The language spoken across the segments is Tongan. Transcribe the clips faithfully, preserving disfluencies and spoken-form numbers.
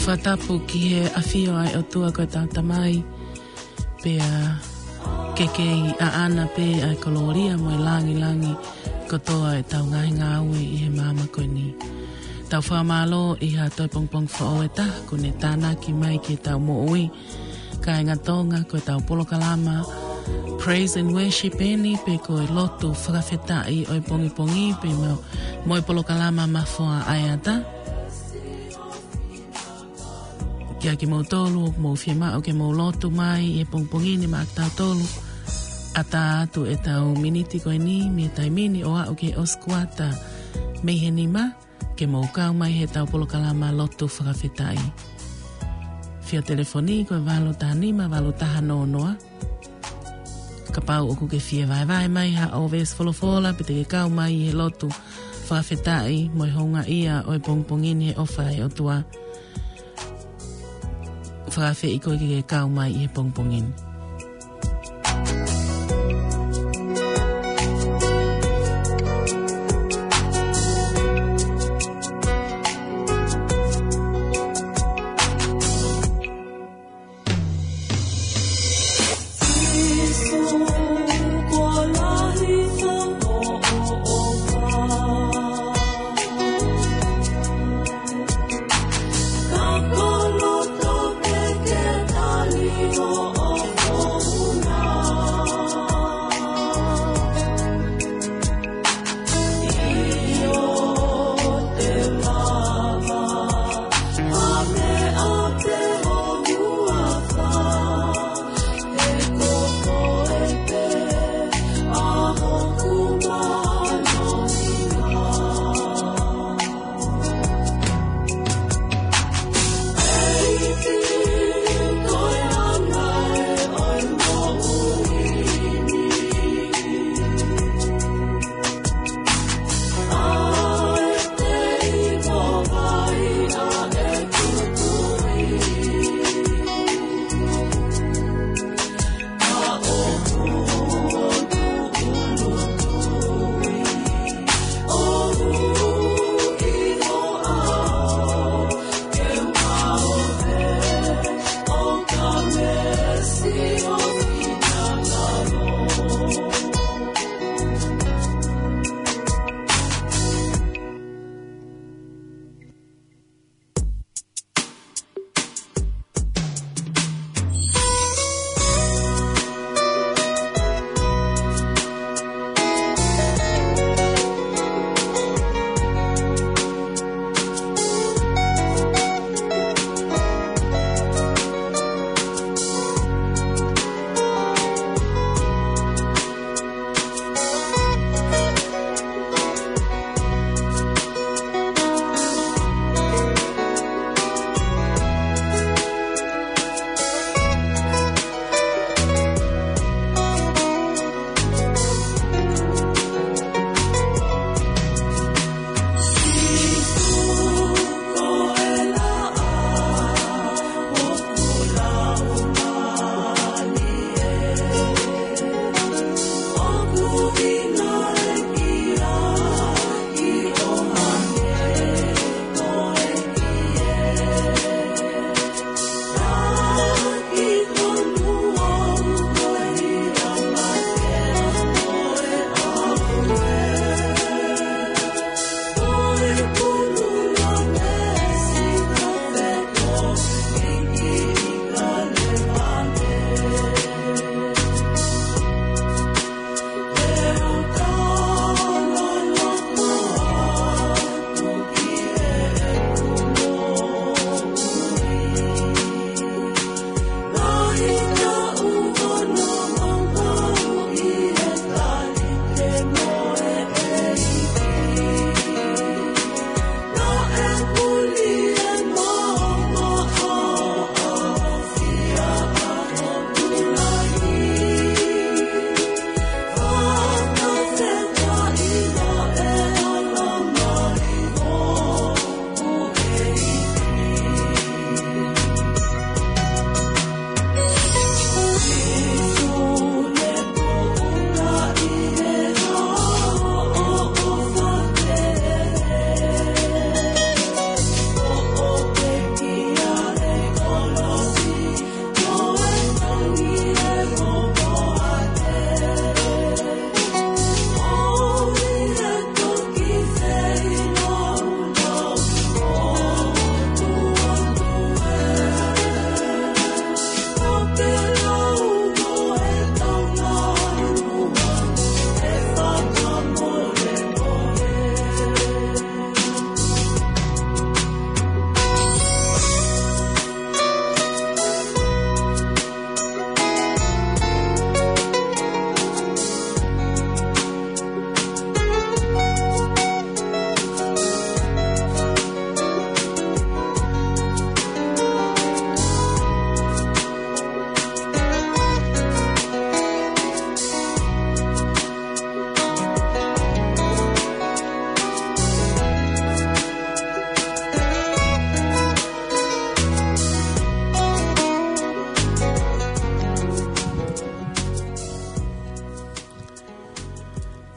Fakatapu ki he ʻafio ʻa e ʻOtua ko ʻetau Tamai, pea ke kei ʻaʻana pē ʻa e kolōlia mo e langilangi kotoa ʻetau ngaahi ngāue ʻi he māmani ko eni. Tau fakamālō ʻi ha toe pongipongi foʻou ʻe taha kuo ne tānaki mai ki heʻetau moʻui. Kāinga Tonga, ko ʻetau polokalama Praise and Worship eni, pe ko e lotu fakafetaʻi ʻo e pongipongi, pea mo, mo e polokalama Mafoa ʻa e Ata. Kiate kimoutolu ʻoku mou fiemaʻu ke mou lotu mai ʻi he pongipongi ni maʻa kitautolu, ʻatā atu ʻetau miniti ko eni mei he taimi ni ʻo aʻu ki he ʻosi kuata mei he nima, ke mou kau mai heʻetau polokalama lotu fakafetaʻi. Fio telefoni ko e valu taha nima, valu taha noa noa. Kapau ʻoku ke fie vahevahe mai haʻo veesi folofola, pe te ke kau mai he lotu fakafetaʻi mo e houngaʻia ʻo e pongipongi ni he ʻofa ʻa e ʻOtua, fakaafeʻi koe ke ke kau mai he pongipongi ni.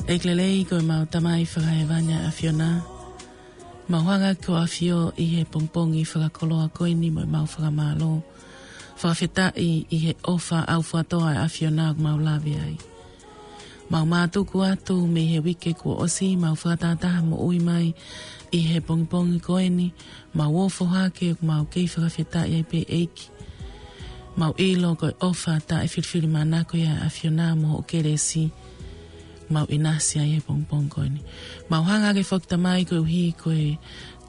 ʻEiki lelei, ko ʻemau Tamai fakahēvani ʻa e ʻAfiona, mau hanga ʻo ʻafio ʻi he pongipongi fakakoloa ko eni mo ʻemau fakamālō, fakafetaʻi ʻi he ʻofa ʻaufuatō ʻa e ʻAfiona ʻoku mau lave ai. Mau mātuku atu mei he uike kuo ʻosi, mau fakatātā moʻui mai ʻi he pongipongi ko eni, mau ofo hake ʻoku mau kei fakafetaʻi ai pē ʻEiki. Mau ʻilo ko e ʻofa taʻefilifilimānako ia ʻa e ʻAfiona mo hoʻo kelesi, mau ʻinasi ai he pongipongi ko eni. Mau hanga hake foki Tamai koeʻuhi ko e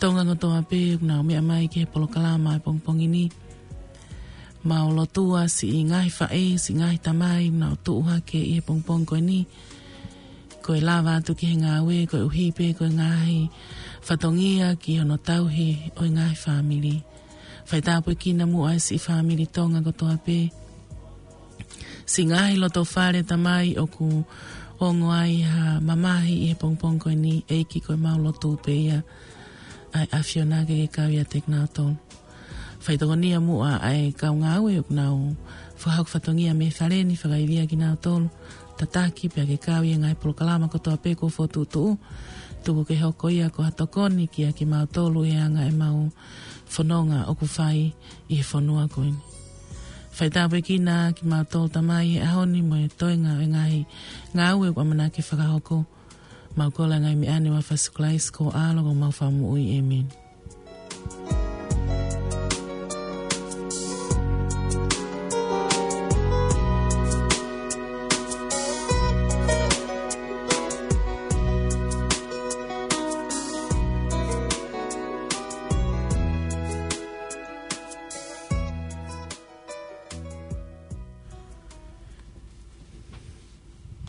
Tonga kotoa pē ʻoku nau meʻa mai ki he polokalama he pongipongi ni. Mau lotua siʻi ngaahi faʻē, siʻi ngaahi tamai, nau tuʻu hake ʻi he pongipongi ko eni. Ko e lava atu ki he ngāue, koeʻuhi pē ko e ngaahi fatongia ki hono tauhi ʻo e ngaahi fāmili. Faitāpuekina muʻa e siʻi fāmili Tonga kotoa pē. Siʻi ngaahi loto fale Tamai ʻoku ongo ai ha mamahi ʻi he pongipongi ko eni, ʻEiki, ko ʻemau lotu pē ia ʻa e ʻAfiona ke ke kau ʻiate kinautolu. Faitokonia muʻa ʻa e kau ngāue ʻoku nau fakahoko fatongia mei fale ni, fakaivia kinautolu, tataki pea ke kau ʻi he ngaahi polokalama kotoa pē kuo fokotuʻutuʻu. Tuku ke hoko ia ko ha tokoni kiate kimautolu he anga ʻemau fononga ʻoku fai ʻi he fonua ko eni. Faitāpuekina kimautolu Tamai he ʻaho ni mo e toenga ʻo e ngaahi ngāue ʻoku ʻamanaki ke fakahoko. Mau kole ʻa e ngaahi meʻa ni ʻi he huafa ʻo Sīsū Kalaisi ko ho ʻAlo ko homau Fakamoʻui. ʻĒmeni.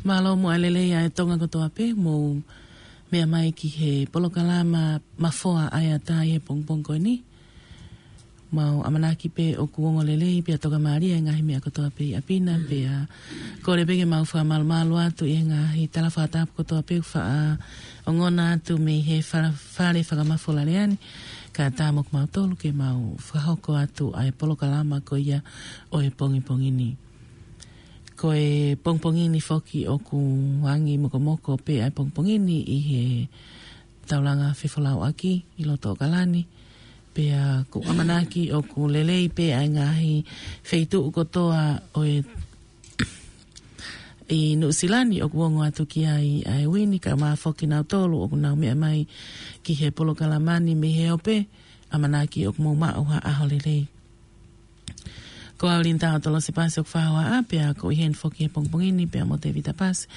Mālō muʻa e lelei ʻa e Tonga kotoa pē, mou meʻa mai ki he polokalama Mafoa ʻa e ʻAtā ʻi he pongipongi ko eni. Mau ʻamanaki pē ʻoku ongo lelei pea tokamālie e ngaahi meʻa kotoa pē ʻi ʻapi na, pea kole pē ke mau fakamalumalu atu ʻi he ngaahi tala fakatapu kotoa pē ʻoku faʻa ongona atu mei he fa-, fale fakamafola lea ni, kae ʻatā mo kimautolu ke mau fakahoko atu ʻa e polokalama ko ia ʻo e pongipongi ni. Ko e pongipongi ni foki ʻoku angi mokomoko pē ʻa e pongipongi ni ʻi he taulanga fefolauʻaki ʻi loto ʻAokalani. Pea ʻoku ʻamanaki ʻoku lelei pē ʻa e ngaahi feituʻu kotoa ʻo e ʻi Nuʻusila ni ʻoku ongo atu ki ai ʻa e uini, kae ʻumaʻā foki kinautolu ʻoku nau meʻa mai ki he polokalama ni mei he ope, ʻamanaki ʻoku mou maʻu ha ʻaho lelei. Ko au Linda ʻo Tolosi Pasi ʻoku fai hoʻatā, pea ʻoku ʻi heni foki he pongipongi ni pea mo Tevita Pasi,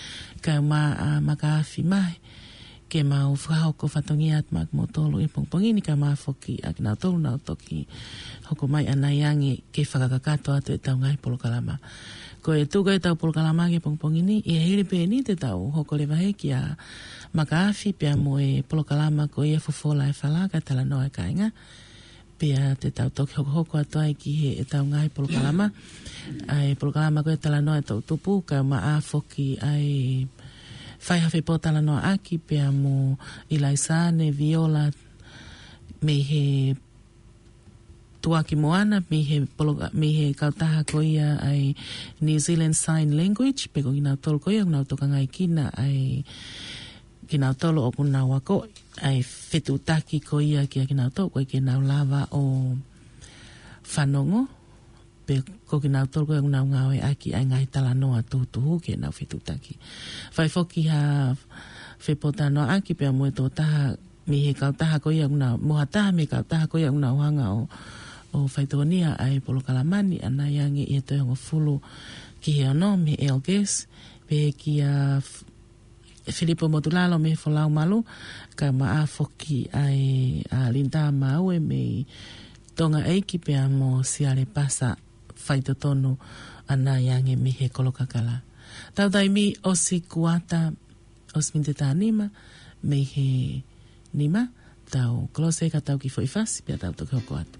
kae ʻumaʻā ʻa Makaafi Mahe, ke mau fakahoko fatongia atu maʻa kimoutolu ʻi he pongipongi ni, kae ʻumaʻā foki ʻa kinautolu nau toki hoko mai ʻanai ange ke fakakakato atu ʻetau ngaahi polokalama. Ko e tuku ʻetau polokalama ki he pongipongi ni, ʻi he hili pē eni te tau hoko leva hake ʻa Makaafi pea mo e polokalama ko ia Fofola e Fala kae Talanoa e Kāinga. Pea te tau toki hokohoko atu ai ki heʻetau ngaahi polokalama. ʻA e polokalama ko e Talanoa e Toʻutupu, kae ʻumaʻā foki ʻa e Fai ha Fepōtalanoaʻaki pea mo ʻIlaisa Neviola mei he Tuʻaki Moana, mei he poloka-, mei he kautaha ko ia ʻa e New Zealand Sign Language, pea ko kinautolu ko ia ʻoku nau tokangaekina ʻa e kinautolu ʻoku nau akoʻi ʻa e fetuʻutaki ko ia kiate kinautolu ʻoku ʻikai ke nau lava ʻo fanongo, pe ko kinautolu ko ia ʻoku nau ngāueʻaki ʻa e ngaahi talanoa tuhutuhu ke nau fetuʻutaki. Fai foki ha fepōtalanoaʻaki pea mo e tokotaha mei he kautaha ko ia ʻoku nau, mo ha taha mei he kautaha ko ia ʻoku nau hanga ʻo, ʻo faitokonia ʻa e polokalama ni ʻanai ange ʻi he toe hongofulu ki he ono mei he Elgis, pehē kia F-, Filipo Motulalo mei he Folau Malu, kae ʻumaʻā foki ʻa e, ʻa Linda Maue mei Tonga ʻEiki pea mo Siale Pasa Faitotonu ʻanai ange mei he Kolokakala. Tau taimi ʻosi kuata, ʻosi miniti ʻe taha nima mei he nima, tau kolose ka tau kiʻi foʻi fasi, pea tau toki hoko atu.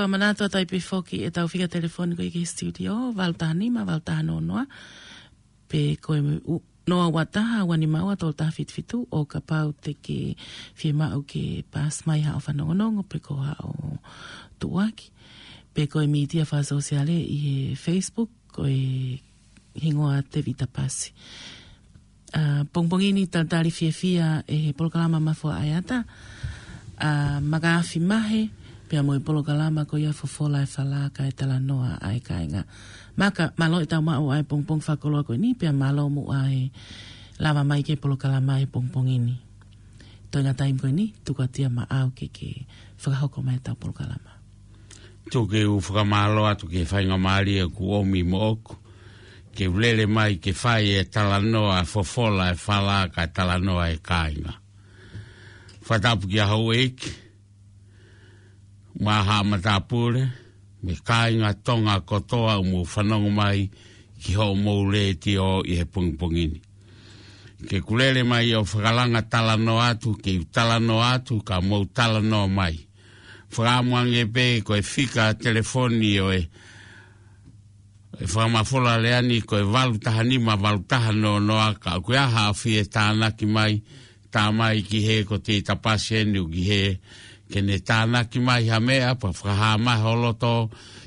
Fakamanatu atu ai pē foki ʻetau fika telefoni ko ia ki he studio, valu taha nima, valu taha noa noa, pe ko e u-, noa ua taha, ua nima ua, tolu taha fitu fitu, ʻo kapau te ke fiemaʻu ke paasi mai haʻo fanongonongo, pe ko haʻo tuʻuaki, pe ko e mītia fakasōsiale ʻi he Facebook, ko e hingoa Tevita Pasi. ʻA, pongipongi ni talitali fiefia ʻe he polokalama Mafoa ʻAeata, ʻa, Maka Afi Mahe, pea mo e polokalama ko ia Fofola e Fala kae Talanoa ʻa e Kāinga. Maka, mālō e tau maʻu ʻa e pongipongi fakakoloa ko eni, pea mālō muʻa e lava mai ki he polokalama he pongipongi ni. Toenga taimi ko eni, tuku atu ia maʻau ke ke fakahoko mai e tau polokalama. Tuku ke u fakamālō atu ki he faingamālie kuo ʻomi moʻoku, ke u lele mai ke fai e talanoa Fofola e Fala kae Talanoa e Kāinga. Fakatapu kia houʻeiki, mo haʻa matāpule, mo e kāinga Tonga kotoa ʻoku mou fanongo mai ki hoʻomou letiō ʻi he pongipongi ni. Ke u lele mai ʻo fakalanga talanoa atu, ke u talanoa atu, ka mou talanoa mai. Fakaʻamu ange pē ko e fika telefoni ʻo e, e Fakamafola Lea ni ko e valu taha nima, valu taha noa noa, ka ʻoku ʻi ai ha fie tānaki mai, tā mai ki he ko Tevita Pasi eni ʻoku ʻi hē, ke ne tānaki mai ha meʻa, pea fakahā mai ho loto,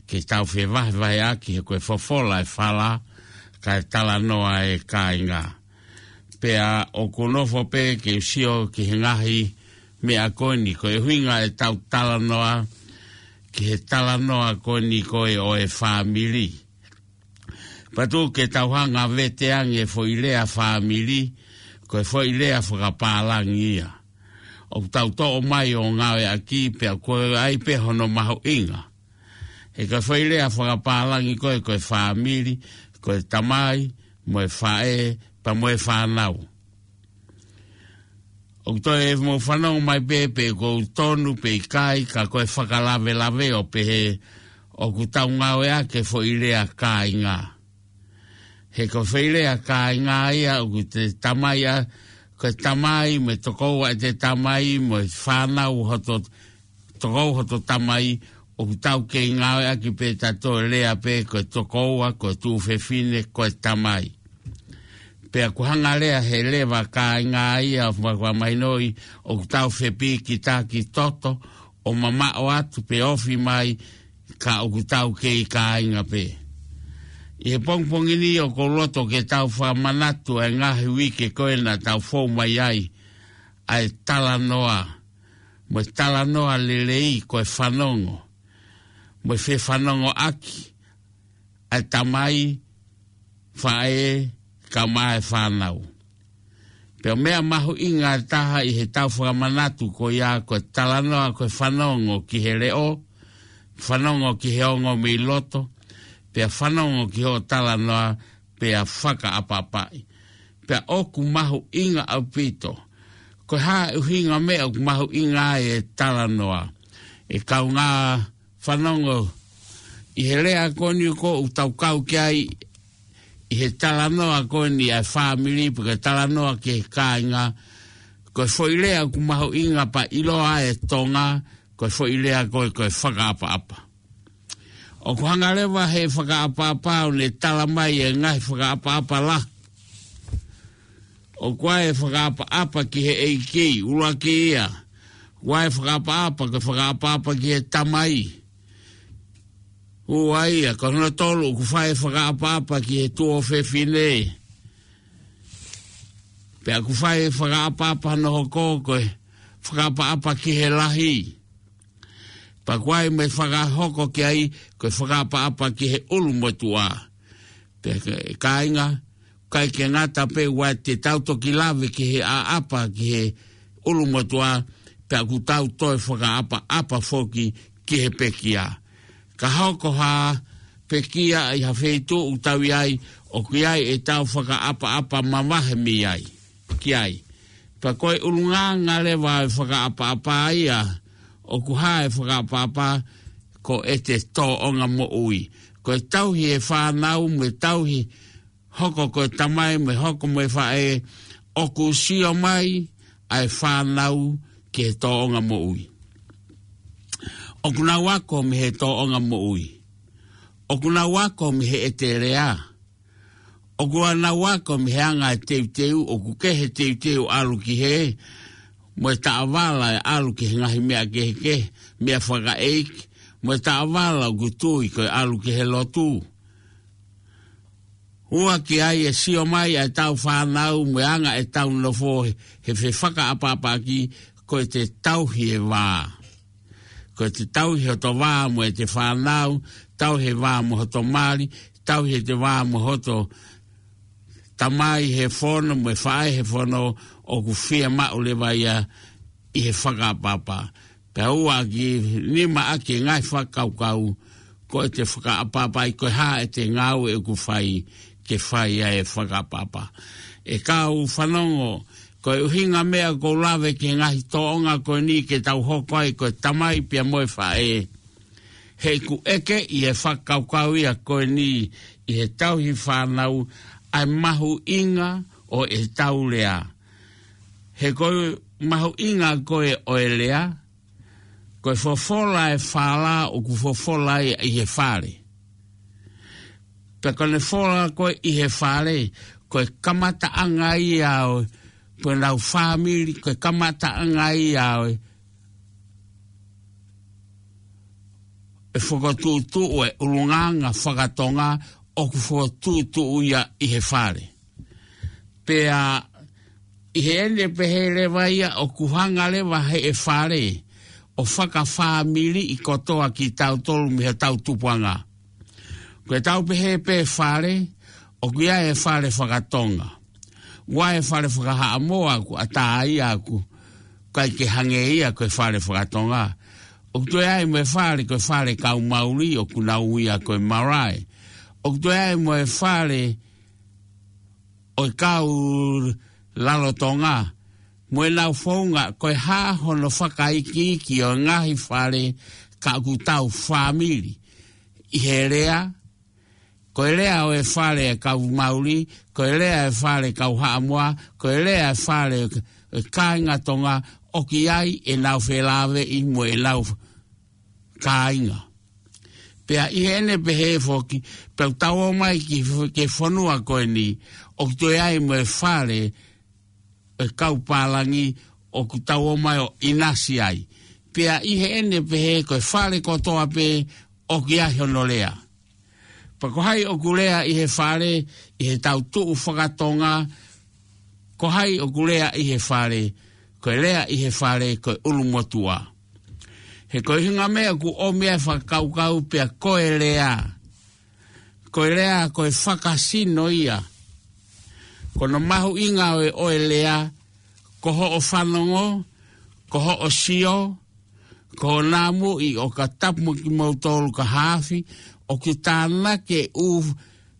ke tau fevahevaheʻaki he ko e Fofola e Fala, kae Talanoa e Kāinga. Pea ʻoku ou nofo pē ke u sio ki he ngaahi meʻa ko eni, ko e ʻuhinga e tau talanoa, ki he talanoa ko eni ko e ʻo e fāmili. Pea tuku ke tau hanga vete ange e foʻi lea fāmili, ko e foʻi lea fakapālangi ia. ʻOku tau toʻo mai ʻo ngāueʻaki pea ko e ʻai pē hono mahuʻinga. He ko e foʻi lea fakapālangi ko e, ko e fāmili, ko e tamai, mo e faʻē, pea mo e fānau. ʻOku toe mou fanongo mai pē, pe ʻoku tonu pe ʻikai, ka ko e fakalavelave ʻo pehē ʻoku tau ngāueʻaki e foʻi lea kāinga. He ko e foʻi lea kāinga ia ʻoku te tamai ʻa, ko e tamai mo e tokoua ʻete tamai mo e fānau hoto, tokoua hoto tamai, ʻoku tau kei ngāueʻaki pē tautolu e lea pē ko e tokoua, ko e tuofefine, ko e tamai. Pea ʻoku hanga leva he lea kāinga ia ʻo fakamahinoʻi ʻoku tau fepikitaki toto ʻo mamaʻo atu pe ofi mai ka ʻoku tau kei kāinga pē. ʻI he pongipongi ni ʻoku ou loto ke tau fakamanatu ʻa e ngaahi uike ko ē naʻa tau fou mai ai ʻa e talanoa, mo e talanoa lelei ko e fanongo, mo e fefanongoʻaki ʻa e tamai, faʻē, kae ʻumaʻā e fānau. Pea meʻa mahuʻinga ʻe taha ʻi he tau fakamanatu ko ia ko e talanoa ko e fanongo ki he leʻo, fanongo ki he ongo mei loto, pea fanongo ki hoʻo talanoa pea fakaʻapaʻapaʻi. Pea ʻoku mahuʻinga ʻaupito. Ko e hā e ʻuhinga meʻa ʻoku mahuʻinga ai e talanoa? ʻE kaungā fanongo, ʻi he lea ko eni ʻoku tau kau ki ai, ʻi he talanoa ko eni ʻa e fāmili, pe ko e talanoa ki he kāinga, ko e foʻi lea ʻoku mahuʻinga pea ʻiloa e Tonga, ko e foʻi lea ko e, ko e fakaʻapaʻapa. ʻOku hanga leva he fakaʻapaʻapa ʻo ne tala mai e ngaahi fakaʻapaʻapa lahi. ʻOku ʻi ai e fakaʻapaʻapa ki he ʻeiki, ʻuluaki ia. ʻOku ʻi ai e fakaʻapaʻapa, ko e fakaʻapaʻapa ki he tamai. Ua ia, ko hono tolu, ʻoku fai e fakaʻapaʻapa ki he tuofefine. Pea ʻoku fai e fakaʻapaʻapa hono hoko, ko e fakaʻapaʻapa ki he lahi. Pea ʻoku ʻi ai mo e fakahoko ki ai, ko e fakaʻapaʻapa ki he ʻulumotuʻa. Pea ko e kāinga, ʻikai ke ngata pē ʻoua te tau toki lave ki he ʻaʻapa ki he ʻulumotuʻa, pea ʻoku tau toe fakaʻapaʻapa foki ki he pekia. Ka hoko ha pekia ʻi ha feituʻu ʻoku tau ʻi ai, ʻoku ʻi ai e tau fakaʻapaʻapa mavahe mei ai, ki ai. Pea ko e ʻulungaanga leva e fakaʻapaʻapa ia, ʻoku hā e fakaʻapaʻapa ko ʻete tōʻonga moʻui. Ko e tauhi e fānau mo e tauhi hoko ko e tamai mo e hoko mo e faʻē, ʻoku sio mai ʻa e fānau ki he tōʻonga moʻui. ʻOku nau ako mei he tōʻonga moʻui. ʻOku nau ako mei he ʻete lea. ʻOku nau ako mei he anga e teuteu, ʻoku kehe teuteu ʻalu ki hē, mo e taʻovala e ʻalu ki he ngaahi meʻa kehekehe, meʻa fakaʻeiki, mo e taʻovala ʻoku tui ko e ʻalu ki he lotu. ʻOku ʻi ai e sio mai ʻa e tau fānau mo e anga e tau nofo he, he fefakaʻapaʻapaʻaki, ko e te tauhi e vā. Ko e te tauhi hoto vā mo e te fānau, tauhi e vā mo hoto mali, tauhi e te vā mo hoto tamai he fono, mo e faʻē he fono, ʻoku fiemaʻu leva ia ʻi he fakaʻapaʻapa. Pea ʻoku ʻi ai e nima ʻaki e ngaahi fakakaukau, ko e te fakaʻapaʻapaʻi ko e hā e te ngāue ʻoku fai, ke fai ai e fakaʻapaʻapa. ʻE kau fanongo, ko e ʻuhinga meʻa ʻoku ou lave ki he ngaahi tōʻonga ko eni ke tau hoko ai ko e tamai pea mo e faʻē. He ʻoku ʻeke ʻi he fakakaukau ia ko eni ʻi he tauhi fānau ʻa e mahuʻinga ʻo e tau lea. He ko e mahuʻinga ko ē ʻo e lea, ko e fofola e fala ʻoku fofola ia ʻi he fale. Pea ko ʻene fola ko ē ʻi he fale, ko e kamataʻanga ia ʻo e, ko ʻenau fāmili, ko e kamataʻanga ia ʻo e, e fokotuʻutuʻu e ʻulungaanga fakatonga ʻoku fokotuʻutuʻu ia ʻi he fale. Pea ʻi heʻene pehē leva ia ʻoku hanga leva he ʻe fale ʻo fakafāmili ʻi kotoa kitautolu mei he tau tupuʻanga. Ko e tau pehē pē fale, ʻoku ʻi ai e fale fakatonga. ʻOku ʻi ai e fale fakahaʻamoa ʻoku ʻatā ia ʻoku ʻikai ke hangē ia ko e fale fakatonga. ʻOku toe ʻi ai mo e fale ko e fale kau Mauli ʻoku nau ui ia ko e marae. ʻOku toe ʻi ai mo e fale ʻo e kau Lalotonga, mo ʻenau founga ko e hā hono fakaikiiki ʻo e ngaahi fale ka ʻoku tau fāmili ʻi he lea, ko e lea ʻo e fale e kau Mauli, ko e lea e fale kau Haʻamoa, ko e lea e fale e kāinga Tonga, ʻoku ʻi ai ʻenau felāveʻi mo ʻenau kāinga. Pea ʻi heʻene pehē foki, pea ʻoku tau ō mai ki, ki he fonua ko eni, ʻoku toe ʻi ai mo e fale e kau pālangi ʻoku tau ō mai ʻo ʻinasi ai. Pea ʻi heʻene pehē ko e fale kotoa pē ʻoku ʻi ai hono lea. Pea ko hai ʻoku lea ʻi he fale, ʻi he tau tuʻu fakatonga, ko hai ʻoku lea ʻi he fale, ko e lea ʻi he fale, ko e ʻulumotuʻa. He ko e ʻuhinga meʻa ʻoku ʻomi ai e fakakaukau pea ko e lea. Ko e lea, ko e fakasino ia. Ko hono mahuʻinga ʻo e, ʻo e lea, ko hoʻo fanongo, ko hoʻo sio, ko hoʻo namuʻi ʻo ka tapu mo kimoutolu ka hafi, ʻoku tānaki e ʻū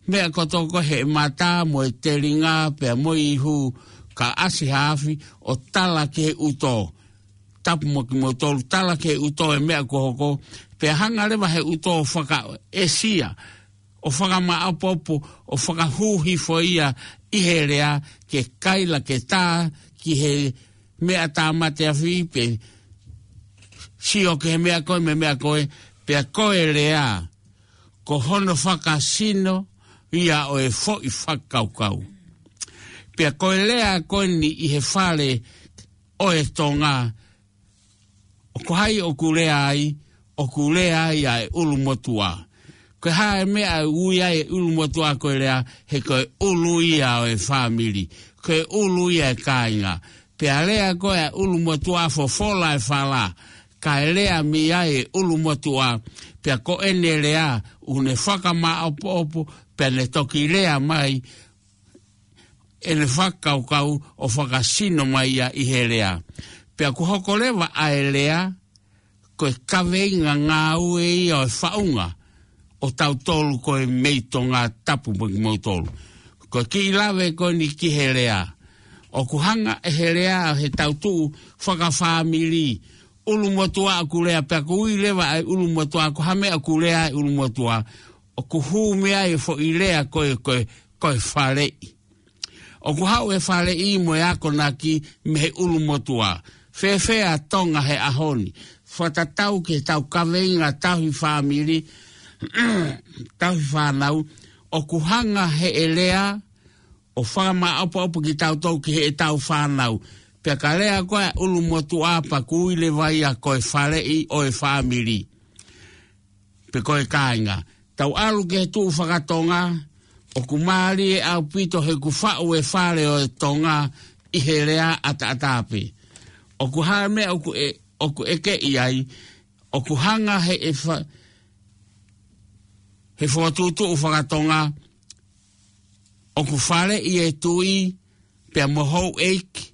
meʻa kotoa ko ē he mata mo e telinga pea mo e ihu ka ʻasi hafi ʻo tala ki he ʻuto. Tapu mo kimoutolu tala ki he ʻuto e meʻa kuo hoko, pea hanga leva he ʻuto ʻo fakaʻesia, ʻo fakamaʻopoʻopo, ʻo fakahū hifo ia ʻi he lea ke kaila ke tā ki he meʻa tāmate afi pe sio ki he meʻa ko ē mo e meʻa ko ē, pea ko e lea, ko hono fakasino ia ʻo e foʻi fakakaukau. Pea ko e lea ko eni ʻi he fale ʻo e Tonga, ʻoku hai ʻoku lea ai, ʻoku lea ai ʻa e ʻulumotuʻa. Ko e hā e meʻa ʻe ui ai e ʻulumotuʻa ko e lea, he ko e ʻulu ia ʻo e fāmili, ko e ʻulu ia e kāinga. Pea lea ko ē ʻa e ʻulumotuʻa fofola e fala, kae lea mei ai e ʻulumotuʻa, pea ko ʻene lea, ʻoku ne fakamaʻopoʻopo, pea ne toki lea mai, ʻene fakakaukau ʻo fakasino mai ia ʻi he lea. Pea ʻoku hoko leva ʻa e lea, ko e kaveinga ngāue ia ʻo e faʻunga ʻo tautolu ko e mei Tonga tapu mo kimoutolu. Ko e kiʻi lave ko eni ki he lea. ʻOku hanga ʻe he lea he tau tuʻu fakafāmili. ʻUlumotuʻa ʻoku lea pea ʻoku ui leva ʻa e ʻulumotuʻa, ko ha meʻa ʻoku lea ʻa e ʻulumotuʻa. ʻOku hū mei ai e foʻi lea ko e, ko e, ko e faleʻi. ʻOku haʻu e faleʻi mo e akonaki mei he ʻulumotuʻa. Fēfē ʻa Tonga he ʻaho ni. fakatatau ki heʻetau kaveinga tauhi fāmili, tauhi fānau, ʻoku hanga heʻe lea ʻo fakamaʻopoʻopo kitautolu ki heʻetau fānau. Pea ka lea ko ē ʻulumotuʻa pea ʻoku ui leva ia ko e faleʻi ʻo e fāmili, pe ko e kāinga. Tau ʻalu ki he tuʻu fakatonga, ʻoku mālie ʻaupito he ʻoku faʻu e fale ʻo e Tonga ʻi he lea ʻataʻatā pē. ʻOku hā e meʻa ʻoku ʻe, ʻoku ʻeke ʻi ai, ʻoku hanga heʻe fa-, he fokotuʻutuʻu fakatonga, ʻoku faleʻi e tuʻi, pea mo houʻeiki,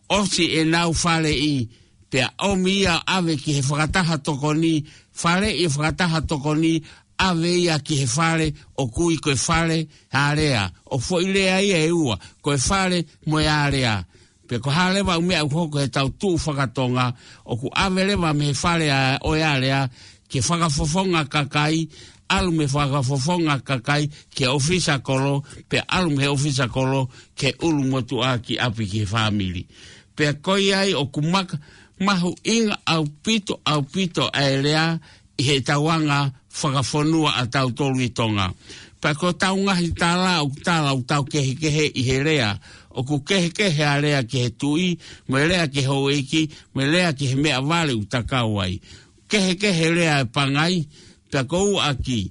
ʻosi ʻenau faleʻi, pea ʻomi ia ʻave ki he fakataha tokoni, faleʻi e fakataha tokoni, ʻave ia ki he fale ʻoku ui ko e fale alea. ʻOku foʻi lea ia ʻe ua, ko e fale mo e alea. Pea ko e hā leva ʻū meʻa ʻoku hoko heʻetau tuʻu fakatonga, ʻoku ʻave leva mei he fale ʻo e alea, ki he fakafofonga kakai, ʻalu mei he fakafofonga kakai ki he ʻōfisa kolo, pea ʻalu mei he ʻōfisa kolo ki he ʻulumotuʻa ki ʻapi ki he fāmili. Pea ko ia ai ʻoku maka-, mahuʻinga ʻaupito, ʻaupito ʻa e lea ʻi heʻetau anga fakafonua ʻatautolu ʻi Tonga. Pea ko ʻetau ngaahi tala, ʻoku tala ʻoku tau kehekehe ʻi he lea. ʻOku kehekehe ʻa e lea ki he tuʻi, mo e lea ki he houʻeiki, mo e lea ki he meʻavale ʻoku ta kau ai. Kehekehe lea e pangai, pea ko ʻuaki.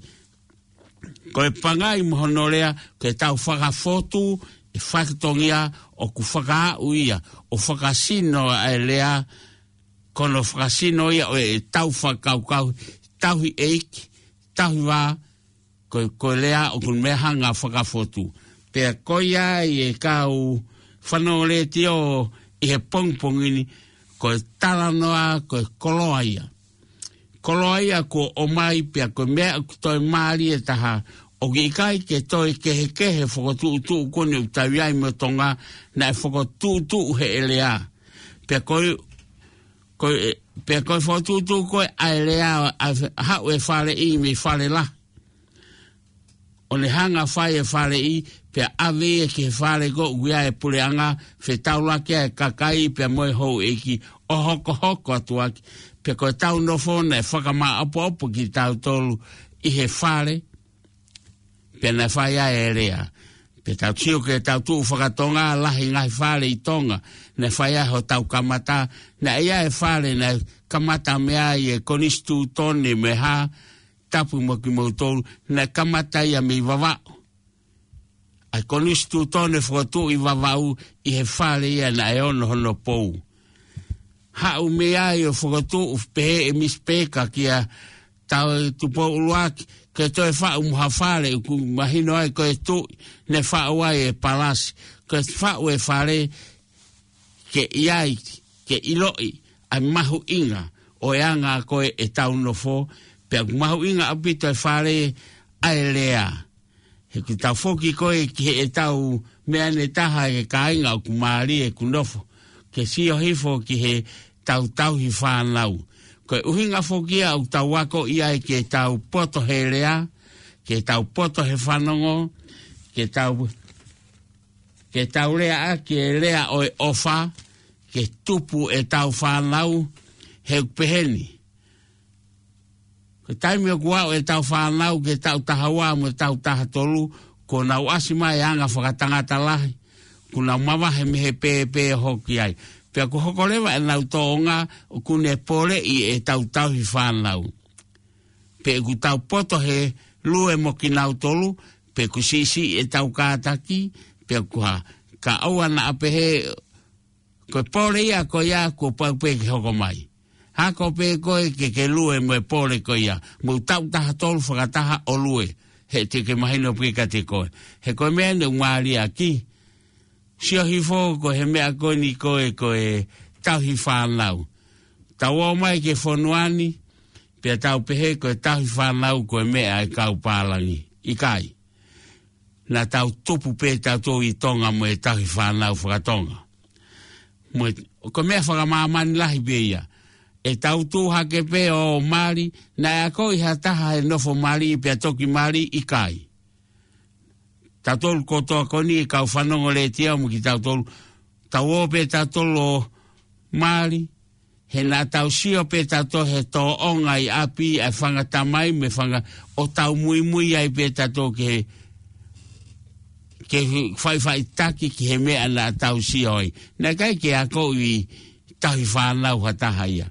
Ko e pangai mo hono lea, ke tau fakafotu e fatongia ʻoku fakaaʻu ia, ʻo fakasino ʻa e lea, ko hono fakasino ia ʻo ʻetau fakakaukau, tauhi ʻeiki, tauhi vā, ko, ko e lea ʻoku ne hanga fakafotu. Pea ko ia ai e kau fanongo letiō ʻi he pongipongi ni, ko e talanoa, ko e koloa ia. Koloa ia kuo ʻomai pea ko e meʻa ʻoku toe mālie taha, ʻoku ʻikai ke toe kehekehe fokotuʻutuʻu ko eni ʻoku tau ʻi ai mo Tonga, naʻe fokotuʻutuʻu heʻe lea. Pea ko e, ko e, pea ko e fokotuʻutuʻu ko ē ʻa e lea ʻa e fe-, haʻu e faleʻi mei fale lahi. ʻO ne hanga fai e faleʻi, pea ʻave ia ki he fale ko ē ʻoku ʻi ai e puleʻanga, fetaulaki ai e kakai, pea mo e houʻeiki, ʻo hokohoko atu ʻaki, pea ko ʻetau nofo naʻe fakamaʻopoʻopo kitautolu ʻi he fale, pea naʻe fai ai e lea. Pea tau sio ki heʻetau tuʻu fakatonga, lahi ngaahi fale ʻi Tonga, naʻe fai ai hotau kamata, naʻe ʻi ai e fale, naʻe kamata mei ai e konisitūtone mo e hā, tapu mo kimoutolu, naʻe kamata ia mei Vavaʻu. ʻA e konisitūtone fokotuʻu ʻi Vavaʻu ʻi he fale ia naʻe ono hono pou. Haʻu mei ai ʻo fokotuʻu pehē ʻe Misi Peka kia Tau Tupou ʻUluaki, ke toe faʻu mo ha fale ʻoku mahino ai ko e tuʻi, ne faʻu ai e palasi, ke faʻu e fale, ke ʻi ai, ke ʻiloʻi ʻa e mahuʻinga ʻo e anga ko ē ʻetau nofo, pea ʻoku mahuʻinga ʻaupito e fale ʻa e lea. He ʻoku tau foki ko ē ki heʻetau meʻa ʻe taha e kāinga ʻoku mālie ʻeku nofo, ke sio hifo ki heʻetau tauhi fānau. Ko e ʻuhinga foki ia ʻoku tau ako ʻi ai ke tau poto he lea, ke tau poto he fanongo, ke tau ke tau lea ʻaki e lea ʻo e ʻofa, ke tupu ʻetau fānau, he ʻoku pehē ni. Ko e taimi ʻoku aʻu ʻetau fānau ki he taʻu taha ua mo e taʻu taha tolu, kuo nau ʻasi mai e anga fakatangata lahi, kuo nau mavahe mei he pēpē ʻo hoko ai. Pea kuo hoko leva ʻenau tōʻonga, ʻoku ne poleʻi ʻetau tauhi fānau. Pe ʻoku tau poto he lue mo kinautolu, pe ʻoku siʻisiʻi ʻetau kātaki, pe ʻoku hā, ka ʻoua naʻa pehē, ko e pole ia ko ia kuo pau pē ke hoko mai. Hako pē koe ke ke lue mo e pole ko ia, mou taʻu taha tolu fakataha ʻo lue, he te ke mahino pē kiate koe. He ko e meʻa ʻoku mālie ʻaki, sio hifo ko e he meʻa ko eni ko e, ko e tauhi fānau. Tau ō mai ki he fonua ni, pea tau pehē ko e tauhi fānau ko e meʻa ʻa e kau pālangi. ʻIkai. Naʻa tau tupu pē tautolu ʻi Tonga mo e tauhi fānau fakatonga. Mo e, ko e meʻa fakamāmani lahi pē ia. ʻE tau tuʻu hake pē ʻo mali, naʻe akoʻi ha taha he nofo mali, pea toki mali, ʻikai. Tautolu kotoa ko eni e kau fanongo letiō mo kitautolu. Tau ō pē tautolu ʻo mali. he naʻa tau sio pē tautolu he tōʻonga ʻi ʻapi ʻa e fanga tamai mo e fanga, ʻo tau muimui ai pē tautolu ke, ke faʻifaʻitaki ki he meʻa naʻa tau sio ai. Naʻe ʻikai ke akoʻi tauhi fānau ha taha ia.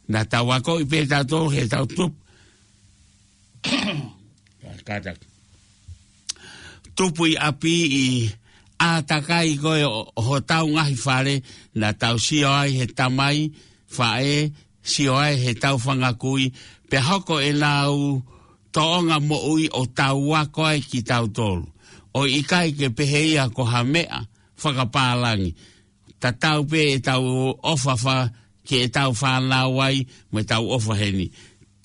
Naʻa tau akoʻi pē tautolu he tau tupu, kātaki. Tupu ʻi ʻapi ʻi ʻātakai ko ē ʻo, ʻo hotau ngaahi fale, naʻa tau sio ai he tamai, faʻē, sio ai he tau fanga kui, pea hoko ʻenau tōʻonga moʻui ʻo tau ako ai kitautolu. ʻO ʻikai ke pehē ia ko ha meʻa fakapālangi. Tatau pē ʻetau ʻofa fa-, ki heʻetau fānau ai, mo ʻetau ʻofa heni.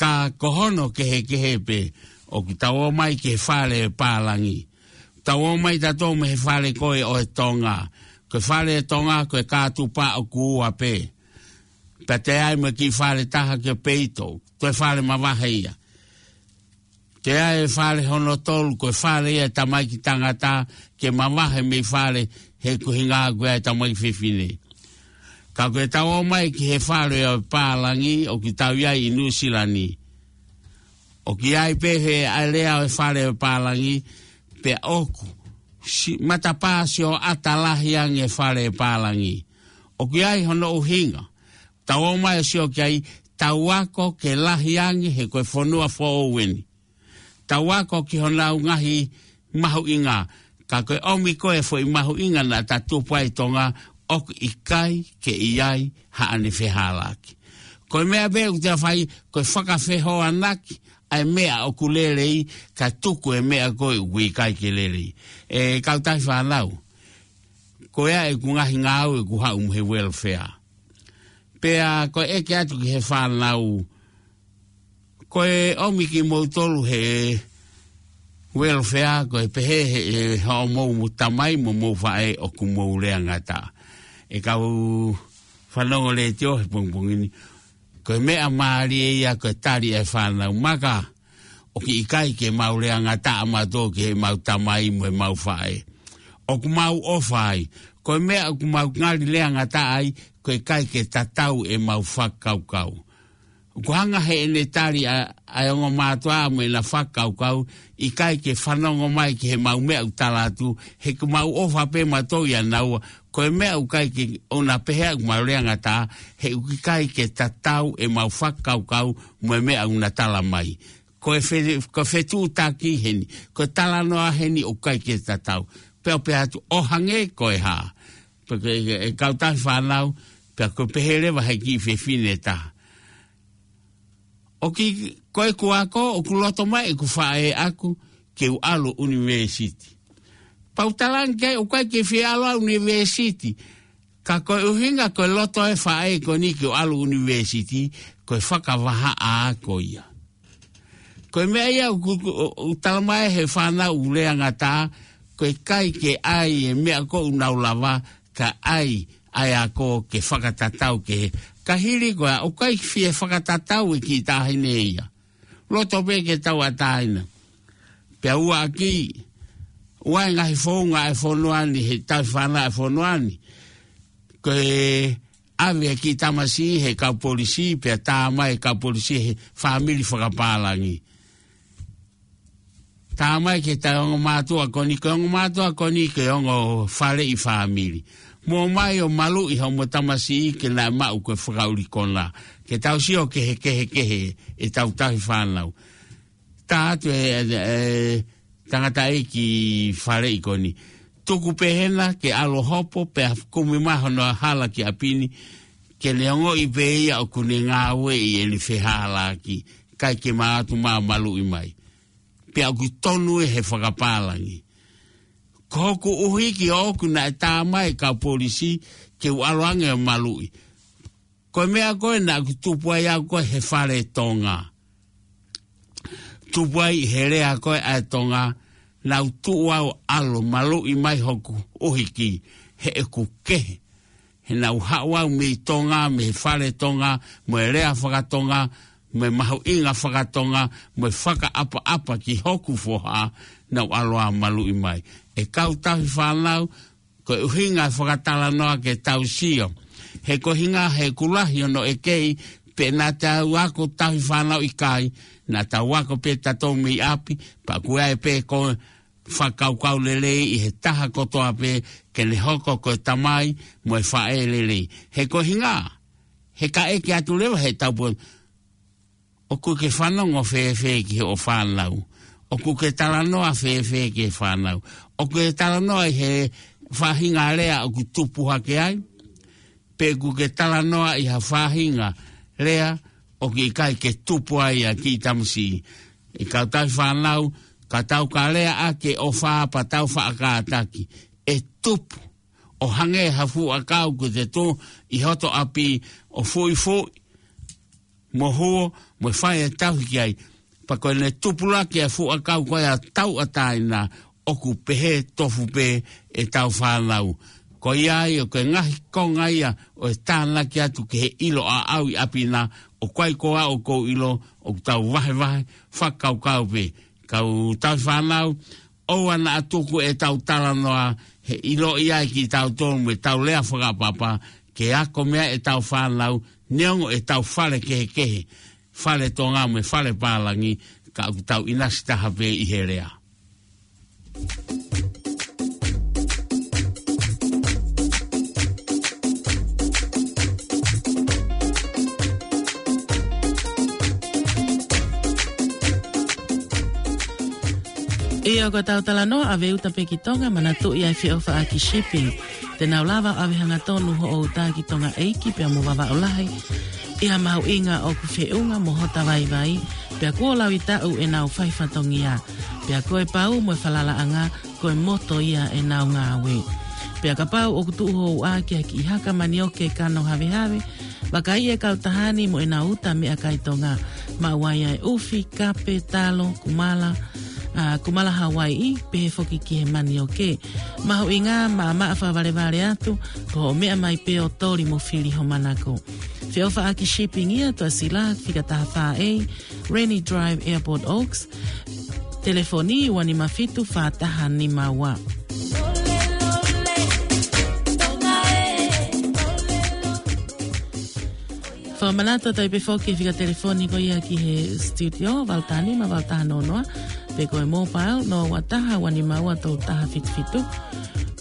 Ka ko hono kehekehe pē, ʻoku tau ō mai ki he fale pālangi. Tau ō mai tautolu mei he fale ko ē ʻo e Tonga. Ko e fale Tonga, ko e kātupa ʻoku ua pē. Pea toe ʻi ai mo e kiʻi fale taha ki ʻapi ʻi toʻo, toe fale mavahe ia. Toe ʻi ai e fale hono tolu, ko e fale ia e tamaiki tangata ke mavahe mei fale he kuhinga ko ē e tamaiki fefine. Ka ko ʻetau ō mai ki he fale ʻo e pālangi ʻoku tau ʻi ai ʻi Nuʻusila ni. ʻOku ʻi ai pē he ʻa e lea ʻo e fale ʻo e pālangi, pea ʻoku si-, matapā sioʻata lahi ange e fale ʻo e pālangi. ʻOku ʻi ai hono ʻuhinga. Tau ō mai ʻo sio ki ai, tau ako ke lahi ange he ko e fonua foʻou eni. Tau ako ki honau ngaahi mahuʻinga, ka ko e ʻomi ko ē e foʻi mahuʻinga naʻa ta tupu ai ʻi Tonga, ʻoku ʻikai ke ʻi ai haʻane fehālaaki. Ko e meʻa pē ʻoku ta fai, ko e fakafehoanaki ʻa e meʻa ʻoku lelei, kae tuku e meʻa ko ē ʻoku ʻikai ke lelei. ʻE kau tauhi fānau, ko ia ʻeku ngaahi ngāue ʻoku haʻu mei he welfare. Pea ko e ʻeke atu ki he fānau, ko e ʻomi kimoutolu he welfare, ko e pehē he, he hoʻomou mo tamai mo mou faʻē ʻoku mou lea ngata. ʻE kau fanongo letiō he pongipongi ni, ko e meʻa mālie ia ko e tali ʻa e fānau, maka, ʻoku ʻikai ke mau lea ngata ʻa mautolu ki heʻemau tamai mo ʻemau faʻē. ʻOku mau ʻofa ai. Ko e meʻa ʻoku mau ngali lea ngata ai, ko e ʻikai ke tatau ʻemau fakakaukau. ʻOku hanga heʻene tali ʻa, ʻa e ongo mātuʻa mo ʻena fakakaukau, ʻikai ke fanongo mai ki heʻemau meʻa ʻoku tala atu, he ʻoku mau ʻofa pē mautolu ʻia naua, ko e meʻa ʻoku ʻikai ke ʻoua naʻa pehē ʻoku mau lea ngata, he ʻoku ʻikai ke tatau ʻemau fakakaukau mo e meʻa ʻoku na tala mai. Ko e fe-, ko e fetuʻutaki heni, ko e talanoa heni ʻoku ʻikai ke tatau. Pea u pehē atu ʻo hangē ko e hā. Pea ko e, e kau tauhi fānau, pea ko e pehē leva he kiʻi fefine ʻe taha. ʻOku, ko ʻeku ako, ʻoku loto mai ʻeku faʻē ʻaku ke u ʻalu ʻunivēsiti. Pea u talaange ki ai ʻoku ʻikai ke fie ʻalu ʻa ʻunivēsiti. Ka ko e ʻuhinga ko e loto e faʻē ko eni ke u ʻalu ʻunivēsiti, ko e fakavahaʻa ko ia. Ko e meʻa ia ʻoku, ʻoku, ʻoku tala mai he fānau ʻoku lea ngata, ko e ʻikai ke ʻai e meʻa ko ē ʻoku nau lava, ka ʻai ʻa e ako ke fakatatau ki he. Ka hili ko ia, ʻoku ʻikai fie fakatatau e kiʻi taʻahine ia. Loto pē ke tauʻatāina. Pea ua ʻaki, ua e ngaahi founga e fonua ni, he tauhi fānau e fonua ni. Ko e ʻave e kiʻi tamasiʻi he kau polisi, pea tā mai e kau polisi he fāmili fakapālangi. Tā mai ki he ongo mātuʻa ko eni, ko e ongo mātuʻa ko eni, ko e ongo faleʻi fāmili. Mou ō mai ʻo maluʻi hoʻomo tamasiʻi ke nau maʻu ko e fakaʻuli konā. Ke tau sio ki he kehekehe ʻetau tauhi fānau. Tā atu e, e, e tangataʻeiki faleʻi ko eni. Tuku pē hena ke ʻalu ʻo hopo pea kumi mai hono hala ki ʻapi ni. Ke ne ongoʻi pē ia ʻoku ne ngāueʻi ʻene fehālaaki. ʻIkai ke mau ō atu mau maluʻi mai. Pea ʻoku tonu ē he fakapālangi. Ko hoku ʻuhiki ʻoʻoku naʻe tā mai e kau polisi ke u ʻalu ange ʻo maluʻi. Ko e meʻa ko ē naʻa ku tupu ai au ko ē he fale Tonga. Tupu ai he lea ko ē ʻa e Tonga, naʻa ku tuʻu au ʻo ʻalu ʻo maluʻi mai hoku ʻuhiki, he ʻoku kehe. He naʻa ku haʻu au mei Tonga, mei he fale Tonga, mo e lea fakatonga, mo e mahuʻinga fakatonga, mo e fakaʻapaʻapa ki hoku foha, naʻa ku ʻalu ʻo maluʻi mai. ʻE kau tauhi fānau, ko e ʻuhinga e fakatalanoa ke tau sio. He ko e hinga he kulahi ono e kei, pe naʻa tau ako tauhi fānau ʻikai, naʻa tau ako pē tatou mei ʻapi, pea ko e ʻai pē ko e fakakaukau lelei ʻi he taha kotoa pē ke ne hoko ko e tamai mo e faʻē lelei. He ko e hinga, he ka ʻeke atu leva he tau po, ʻoku ke fanongo fēfē ki hoʻo fānau? ʻOku ke talanoa fēfē ki he fānau? ʻOku ke talanoa ʻi he faʻahinga lea ʻoku tupu hake ai? Pe ʻoku ke talanoa ʻi ha faʻahinga lea ʻoku ʻikai ke tupu ai ʻa e kiʻi tamasiʻi? ʻE kau tauhi fānau, ka tau ka lea ʻaki e ʻofa pea tau faʻa kātaki, ʻe tupu. ʻO hangē ha fuʻu ʻakau ʻoku te tō ʻi hoto ʻapi ʻo fuʻifuʻi mo huo, mo fai e tauhi ki ai. Pea ko ʻene tupulaki e fuʻu ʻakau ko ia tauʻatāina, ʻoku pehē tofu pē ʻetau fānau. Ko ia ai ʻoku ngaahi konga ia ʻo e tānaki atu ki he ʻilo ʻaʻau ʻi ʻapi na, ʻoku ʻikai ko au ʻoku ou ʻilo, ʻoku tau vahevahe fakakaukau pē. Kau tauhi fānau, ʻoua naʻa tuku ʻetau talanoa he ʻiloʻi ai kitautolu mo ʻetau lea fakaʻapaʻapa ke ako mei ai ʻetau fānau, neongo ʻetau fale kehekehe, fale Tonga mo e fale pālangi, ka ʻoku tau ʻinasi taha pē ʻi he lea. ʻIo, ko ʻetau talanoa ʻave uta pē ki Tonga, manatuʻi ʻa e Feʻofaʻaki Shipping. Te nau lava ʻo ʻave hangatonu hoʻo uta ki Tonga ʻEiki pea mo Vavaʻu Lahi ʻi ha mahuʻinga ʻoku feʻunga mo hota vaivai, pea kuo laui taʻu ʻenau fai fatongia. Pea ko e pau mo e falalaʻanga, ko e moto ia ʻenau ngāue. Pea kapau ʻoku tuʻu ho uʻa ki ha kiʻi haka manioke kano havehave, vakai e kautaha ni mo ʻenau uta meʻakai Tonga. Maʻu ai ʻa e ʻufi, kape, talo, kumala, ʻa, kumala Hawaiʻi, pehē foki ki he manioke. Mahuʻinga, maʻamaʻa fakavalevale atu, ko hoʻo meʻa mai pē ʻo toli mo fili ho manako. Feʻofaʻaki Shipping ia, Tuʻasila, fika taha fā A, Rennie Drive, Airport Oaks. Telefoni ua nima fitu fā taha nima ua. Fakamanatu atu ai pē foki e fika telefoni ko ia ki he studio, valu taha nima, valu taha noa noa, pe ko e mobile, noa ua taha, ua nima ua, tolu taha fitu fitu.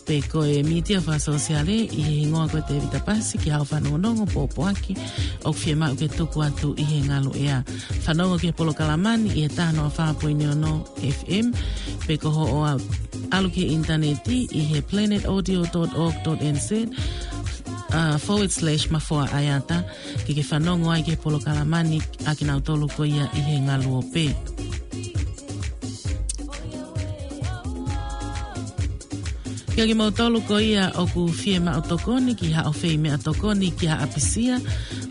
Pe ko e mītia fakasōsiale ʻi he hingoa ko Tevita Pasi, ki haʻo fanongonongo, pōpoaki ʻoku fiemaʻu ke tuku atu ʻi he ngaluʻea. Fanongo ki he polokalama ni ʻi he taha noa fā poini ono F M, pe ko hoʻo ʻalu ki he ʻinitaneti ʻi he planet audio dot org dot N Z, uh, forward slash Mafoa ʻAeata, ke ke fanongo ai ki he polokalama ni ʻa kinautolu ko ia ʻi he ngaluope. Kiate kimoutolu ko ia ʻoku fiemaʻu tokoni ki haʻo fai meʻatokoni ki ha ʻapisia,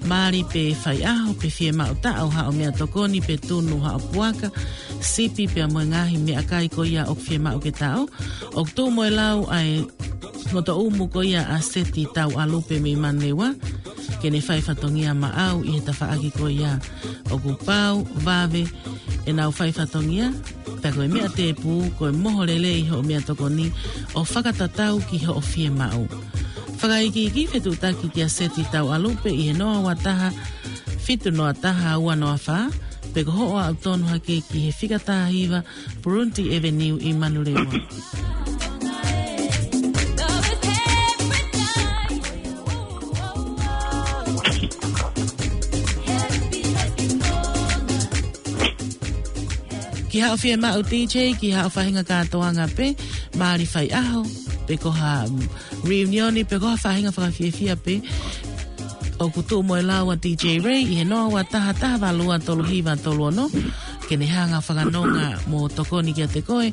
mali pe faiʻaho, pe fiemaʻu taʻo haʻo meʻatokoni pe tunu haʻo puaka, sipi pea mo e ngaahi meʻakai ko ia ʻoku fiemaʻu ke taʻo, ʻoku tuʻu mo e lau ʻa e ngotoʻumu ko ia ʻa Seti Tauʻalupe mei Manurewa, ke ne fai fatongia maʻau ʻi he tafaʻaki ko ia. ʻOku pau, vave ʻenau fai fatongia, pea ko e meʻa tēpū, ko e moho lelei hoʻo meʻatokoni ʻo fakatatau ki hoʻo fiemaʻu. Fakaikiiki, fetuʻutaki kia Seti Tauʻalupe ʻi he noa ua taha, fitu noa taha, ua noa fā, pe ko hoʻo aʻu tonu hake ki he fika taha hiva, Purunti Avenue ʻi Manurewa. Ki haʻo fiemaʻu D J, ki haʻo faʻahinga kātoanga pē, mali faiʻaho, pe ko ha, mm, reunion, pe ko ha faʻahinga fakafiefia pē, ʻoku tuʻu mo e lau ʻa D J Ray ʻi he noa ua taha, taha valu ua, tolu hiva tolu ono, ke ne hanga fakanonga mo tokoni kiate koe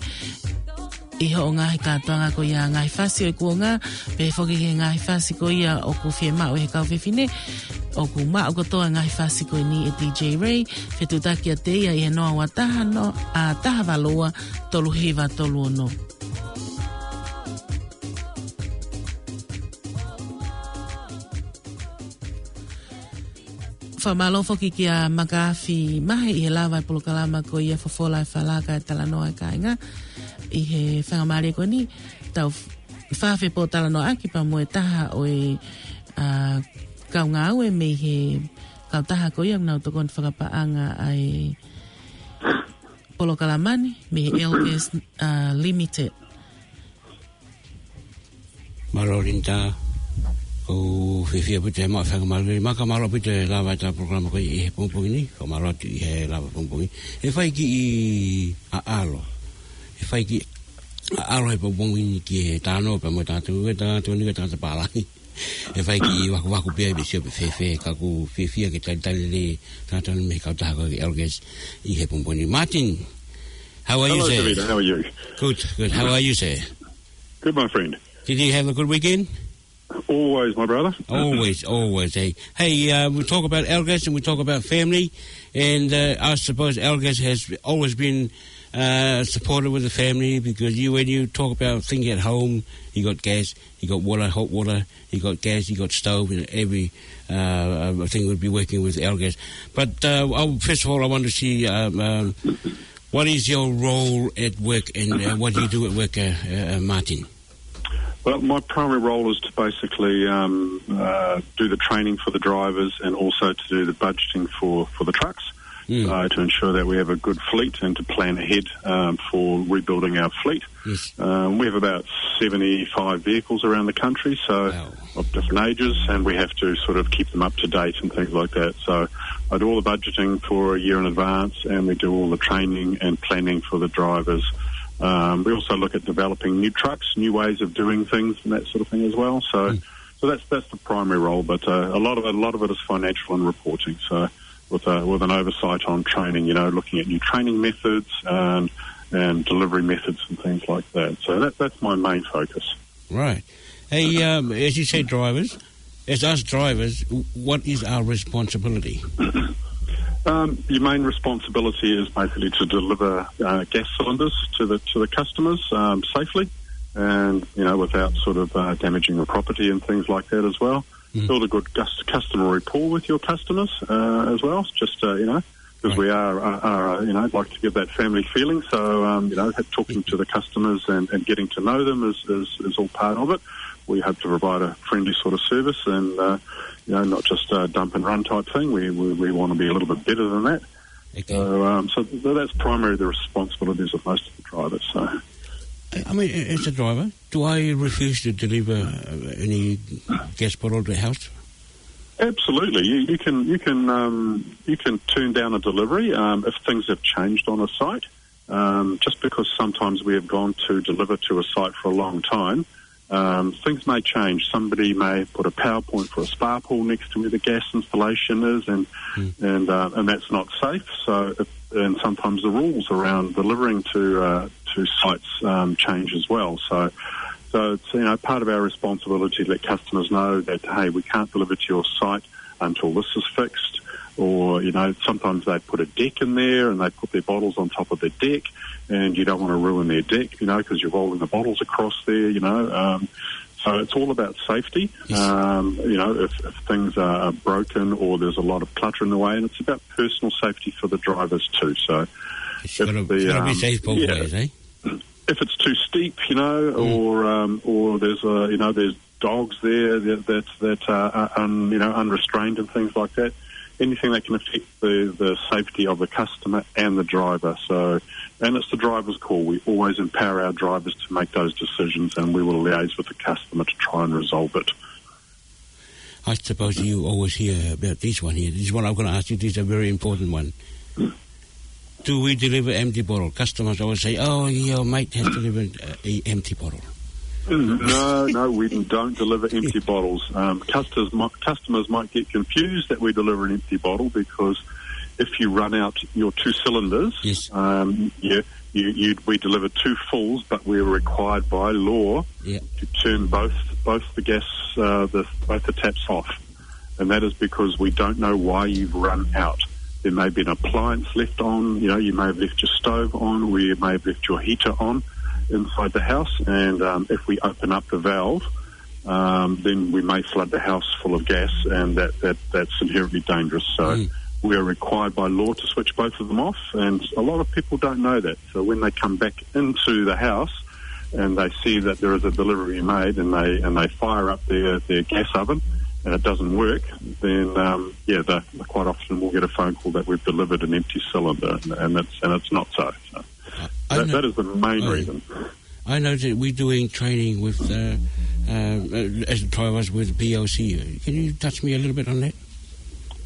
ʻi hoʻo ngaahi kātoanga ko ia, ngaahi fasi ʻo e kuonga, pehē foki ki he ngaahi fasi ko ia ʻoku fiemaʻu ʻe he kau fefine, ʻoku maʻu kotoa ngaahi fasi ko eni ʻe D J Ray, fetuʻutaki kiate ia ʻi he noa ua taha, no, a, taha valu ua, tolu hiva tolu ono. Fakamālō foki kia Makafi Mahe ʻi he lava e polokalama ko ia Fofola e Fala kae talanoa e kāinga. ʻI he faingamālie ko eni, tau f-, fafepōtalanoaʻaki pea mo e taha ʻo e ʻa, kau ngāue mei he kautaha ko ia ʻoku nau tokoni fakapaʻanga ʻa e polokalama ni, mei he L Gas, ʻa, Limited. Mālō Linda, ʻoku fiefia ʻaupito he maʻu fakamālō. Maka mālō ʻaupito e lava ʻetau polokalama ko ia ʻi he pongipongi ni, fakamālō atu ʻi he lava pongipongi. ʻE fai kiʻi ʻaʻalo. ʻE fai kiʻi ʻaʻalo he pongipongi ni ki he talanoa pea mo tatou, e tatou ni, e tatou pālangi. ʻE fai kiʻi vakuvaku pē ia pe sio pe fēfē, ka ʻoku fiefia ke talitali lelei tatou mei he kautaha ko e L Gas ʻi he pongipongi ni. Martin, how are you, Hello, sir? Tavita. How are you? Good, good. How are you, sir? Good, my friend. Did you have a good weekend? Always, my brother. Always, always, eh? Hey, uh, we talk about L Gas and we talk about family, and, uh, I suppose L Gas has always been, uh, supportive of the family, because you, when you talk about things at home, you got gas, you got water, hot water, you got gas, you got stove, and every, uh, uh, thing would be working with L Gas. But, uh, oh, first of all, I want to see, um, um, what is your role at work and, uh, what do you do at work, uh, uh, uh, Martin? Well, my primary role is to basically, um, uh, do the training for the drivers and also to do the budgeting for, for the trucks, Mm. uh, to ensure that we have a good fleet and to plan ahead, um, for rebuilding our fleet. Yes. Um, we have about seventy-five vehicles around the country, so Wow. of different ages, and we have to sort of keep them up to date and things like that. So I do all the budgeting for a year in advance, and we do all the training and planning for the drivers. Um, we also look at developing new trucks, new ways of doing things, and that sort of thing as well. So, Mm. so that's, that's the primary role. But, uh, a lot of it, a lot of it is financial and reporting. So, with a, with an oversight on training, you know, looking at new training methods and, and delivery methods and things like that. So that, that's my main focus. Right. Hey, um, as you say, drivers, as us drivers, w-, what is our responsibility? Um, your main responsibility is basically to deliver, uh, gas cylinders to the, to the customers, um, safely and, you know, without sort of, uh, damaging the property and things like that as well. Mm. Build a good cus-, customer rapport with your customers, uh, as well. Just, uh, you know, 'cause Right. we are, are, are, you know, like to give that family feeling. So, um, you know, ha-, talking to the customers and, and getting to know them is, is, is all part of it. We hope to provide a friendly sort of service and, uh, you know, not just a dump and run type thing. We, we, we want to be a little bit better than that. Okay. So, um, so th-, that's primarily the responsibilities of most of the drivers. So. I, I mean, a-, as a driver, do I refuse to deliver, uh, any gas bottle to the house? Absolutely. You, you can, you can, um, you can turn down a delivery, um, if things have changed on a site. Um, just because sometimes we have gone to deliver to a site for a long time, um, things may change. Somebody may put a PowerPoint for a spa pool next to where the gas installation is, and, Mm. and, uh, and that's not safe. So, if, and sometimes the rules around delivering to, uh, to sites, um, change as well. So, so it's, you know, part of our responsibility to let customers know that, hey, we can't deliver to your site until this is fixed. Or, you know, sometimes they put a deck in there and they put their bottles on top of the deck, and you don't want to ruin their deck, you know, 'cause you're rolling the bottles across there, you know. Um, so it's all about safety. Yes. Um, you know, if, if things are, are broken or there's a lot of clutter in the way, and it's about personal safety for the drivers too. So It's if gotta, the, it's gotta be um, safe both yeah. ways, eh? If it's too steep, you know, Mm. or, um, or there's a, you know, there's dogs there that, that, that are, are un-, you know, unrestrained and things like that, anything that can affect the, the safety of the customer and the driver. So, and it's the driver's call. We always empower our drivers to make those decisions, and we will liaise with the customer to try and resolve it. I suppose you always hear about this one here. This one I'm gonna ask you, this is a very important one. Do we deliver empty bottle? Customers always say, "Oh, your mate has delivered, uh, a empty bottle." No, no, we don't deliver empty bottles. Um, customers mi-, customers might get confused that we deliver an empty bottle because if you run out your two cylinders, Yes. um, you, you, you, we deliver two fulls, but we're required by law Yeah. to turn both, both the gas, uh, the, both the taps off. And that is because we don't know why you've run out. There may be an appliance left on, you know, you may have left your stove on, or you may have left your heater on inside the house. And, um, if we open up the valve, um, then we may flood the house full of gas, and that, that, that's inherently dangerous. So Mm. we are required by law to switch both of them off, and a lot of people don't know that. So when they come back into the house and they see that there is a delivery made, and they, and they fire up their, their gas oven, and it doesn't work, then, um, yeah, the, quite often we'll get a phone call that we've delivered an empty cylinder, and, and it's, and it's not so. So I that, know that is the main I reason. I know that we're doing training with, uh, uh, uh, as drivers with B O C. Can you touch me a little bit on that?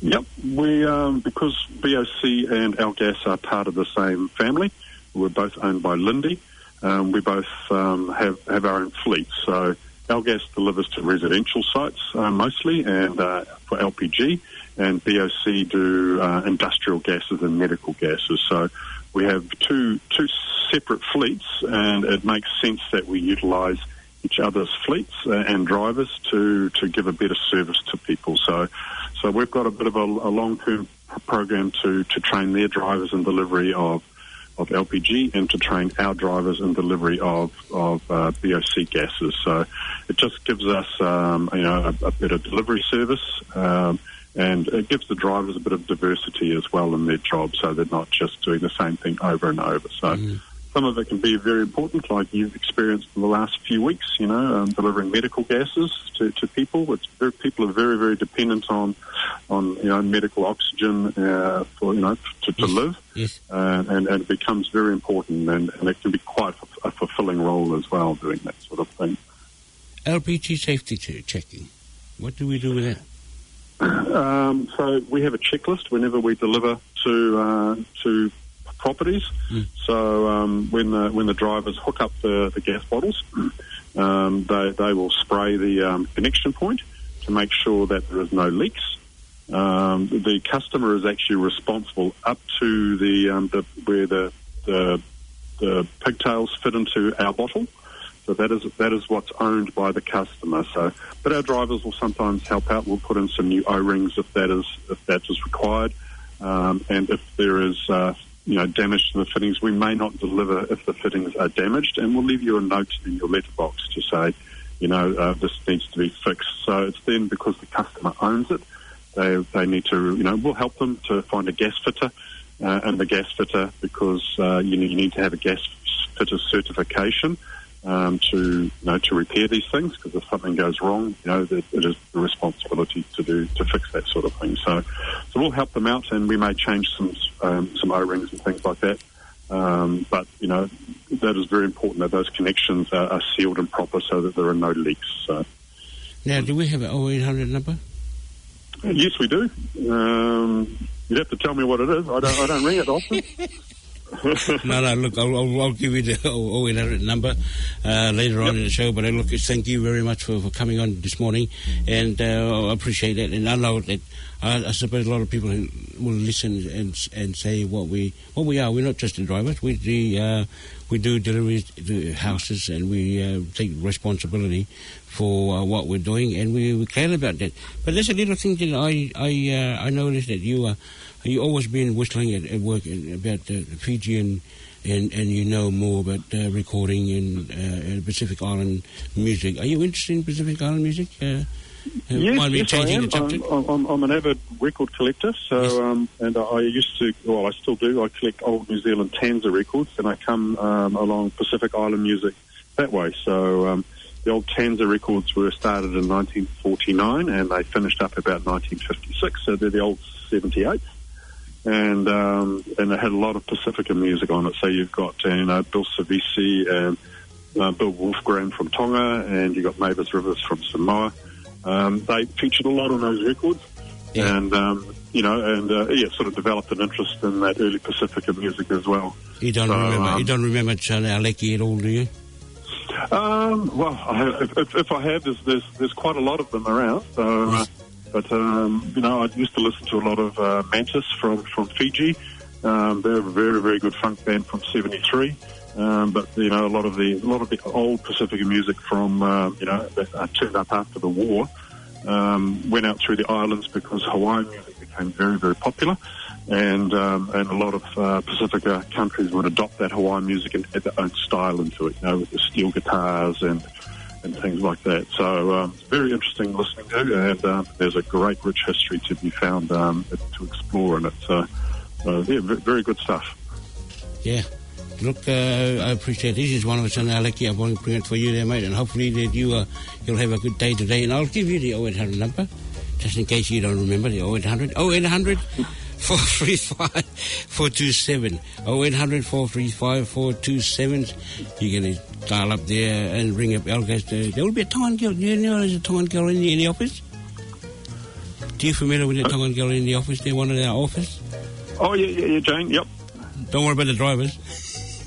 Yep, we, um, because B O C and Our Gas are part of the same family, we're both owned by Linde. Um, we both, um, have, have our own fleet. So Our Gas delivers to residential sites, uh, mostly, and, uh, for L P G, and B O C do, uh, industrial gases and medical gases. So we have two, two separate fleets, and it makes sense that we utilize each other's fleets, uh, and drivers to, to give a better service to people. So, so we've got a bit of a, a long-term program to, to train their drivers in delivery of, of L P G and to train our drivers in delivery of, of, uh, B O C gases. So it just gives us, um, you know, a, a better delivery service, um, and it gives the drivers a bit of diversity as well in their job, so they're not just doing the same thing over and over. So some of it can be very important, like you've experienced in the last few weeks, you know, um, delivering medical gases to, to people. It's very, people are very, very dependent on, on, you know, medical oxygen, uh, for, you know, to, to live. Yes. Uh, and, and it becomes very important, and, and it can be quite a, a fulfilling role as well, doing that sort of thing. L P G safety che-, checking. What do we do with that? Um, so we have a checklist whenever we deliver to, uh, to properties. So, um, when the, when the drivers hook up the, the gas bottles, um, they, they will spray the, um, connection point to make sure that there is no leaks. Um, the customer is actually responsible up to the, um, the, where the, the, the pigtails fit into our bottle. So that is, that is what's owned by the customer. So, but our drivers will sometimes help out. We'll put in some new O-rings if that is, if that is required. Um, and if there is, uh, you know, damage to the fittings, we may not deliver if the fittings are damaged, and we'll leave you a note in your letterbox to say, you know, uh, this needs to be fixed. So it's then, because the customer owns it, they, they need to, you know, we'll help them to find a gas fitter, uh, and the gas fitter, because, uh, you, you need to have a gas fitter certification, um, to, you know, to repair these things, 'cause if something goes wrong, you know, it, it is the responsibility to do, to fix that sort of thing. So, so we'll help them out, and we may change some, um, some O-rings and things like that. Um, but, you know, that is very important that those connections are, are sealed and proper so that there are no leaks. So. Now, do we have an oh eight hundred number? Yes, we do. Um, you'd have to tell me what it is. I don't, I don't ring it often. No, no, look, I'll, I'll, I'll give you the oh eight hundred number, uh, later on in the show, but I look, thank you very much for, for coming on this morning, and, uh, I appreciate that, and I know that, uh, I suppose a lot of people who will listen and, and say what we, what we are. We're not just the drivers. We, the, uh, we do deliveries to houses, and we, uh, take responsibility for, uh, what we're doing, and we, we care about that. But there's a little thing that I, I, uh, I noticed that you, uh, you always been whistling at, at work about the Fijian, and, and you know more about, uh, recording and, uh, and Pacific Island music. Are you interested in Pacific Island music? Uh, uh, Yes, mind me yes, I changing am. The subject? I'm, I'm, I'm an avid record collector, so, Yes. um, and I used to, well, I still do. I collect old New Zealand Tanza records, and I come, um, along Pacific Island music that way. So, um, the old Tanza records were started in nineteen forty-nine, and they finished up about nineteen fifty-six. So they're the old seventy-eights, and, um, and they had a lot of Pacifica music on it. So you've got, uh, you know, Bill Savisi and, uh, Bill Wolfgram from Tonga, and you've got Mavis Rivers from Samoa. Um, they featured a lot on those records, Yeah. and, um, you know, and, uh, yeah, sort of developed an interest in that early Pacifica music as well. You don't So, remember, um, you don't remember Tane Aleki at all, do you? Um, well, I, if, if, if I have, there's, there's, there's quite a lot of them around. So, uh, Yes. but, um, you know, I used to listen to a lot of, uh, Mantis from, from Fiji. Um, they're a very, very good funk band from seventy-three. Um, but, you know, a lot of the, a lot of the old Pacifica music from, uh, you know, that, uh, turned up after the war, um, went out through the islands because Hawaiian music became very, very popular, and, um, and a lot of, uh, Pacifica countries would adopt that Hawaiian music and add their own style into it, you know, with the steel guitars and, and things like that. So, um, it's very interesting listening to, and, um, there's a great rich history to be found, um, to explore, and it's, uh, uh, yeah, ve-, very good stuff. Yeah. Look, uh, I appreciate this. This is one of us on Aleki. I want to bring it for you there, mate, and hopefully that you, uh, you'll have a good day today. And I'll give you the oh eight hundred number. Just in case you don't remember, the oh eight hundred, oh eight hundred, four three five, four two seven. Oh eight hundred, four three five, four two seven. You can dial up there and ring up Elgas. There, there will be a Tongan girl. Do you know there's a Tongan girl in the, in the office? Do you familiar with the Tongan girl in the office? They're one of our office. Oh, yeah, yeah, yeah, Jane, yep. Don't worry about the drivers.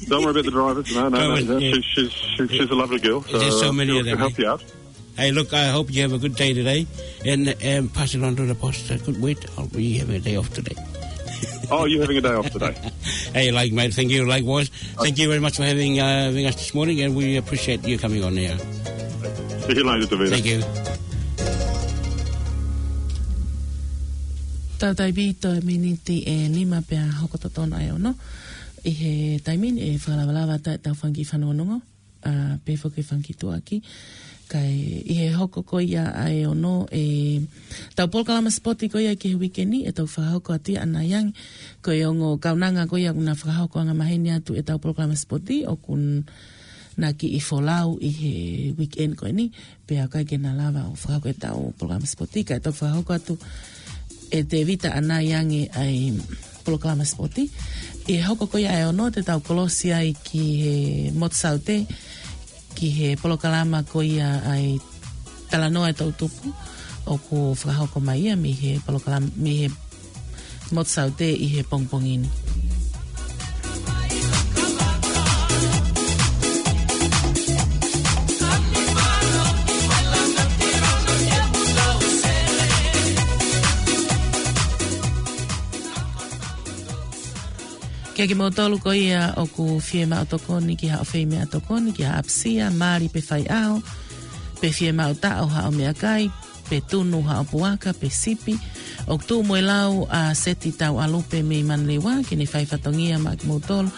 Don't worry about the drivers. No, no, no, drivers, no. Yeah. She's, she's, she's, she's a lovely girl. There's so many of them, eh? She'll help you out. Hey, look, I hope you have a good day today, and, and pass it on to the boss. Uh, good wait, I'll be having a day off today. Oh, you're having a day off today. Hey, like, mate, thank you. Likewise, thank you very much for having, uh, having us this morning, and we appreciate you coming on air. See you later, Tavita. Thank you. Tau taimi toe miniti ʻe nima pea hoko totonu ʻa e ono. ʻI he taimi ni ʻe fakalavalava atu ʻetau fanga kiʻi fanongonongo, ʻa, pea foki fanga kiʻi tuʻuaki. Kae ʻi he hoko ko ia ʻa e ono, ʻetau polokalama sipoti ko ia ki he uike ni, ʻe toki fakahoko atu ia ʻanai ange. Ko e ongo kaunanga ko ia ʻoku na fakahoko angamaheni atu ʻetau polokalama sipoti, ʻoku na kiʻi folau ʻi he weekend ko eni, pea ʻikai ke na lava ʻo fakahoko ʻetau polokalama sipoti, kae toki fakahoko atu ʻe Tevita ʻanai ange ʻa e polokalama sipoti. ʻI he hoko ko ia ʻa e ono te tau kolosi ai ki he motu Saute, ki he polokalama ko ia ʻa e Talanoa ʻa e Toʻutupu, ʻoku fakahoko mai ia mei he polokalama, mei he motu Saute ʻi he pongipongi ni. Kiate kimoutolu ko ia ʻoku fiemaʻu tokoni ki haʻo fai meʻatokoni, ki ha ʻapisia, mali pe faiʻaho, pe fiemaʻu taʻo haʻo meʻakai, pe tunu haʻo puaka, pe sipi, ʻoku tuʻu mo e lau ʻa Seti Tauʻalupe mei Manurewa ke ne fai fatongia maʻa kimoutolu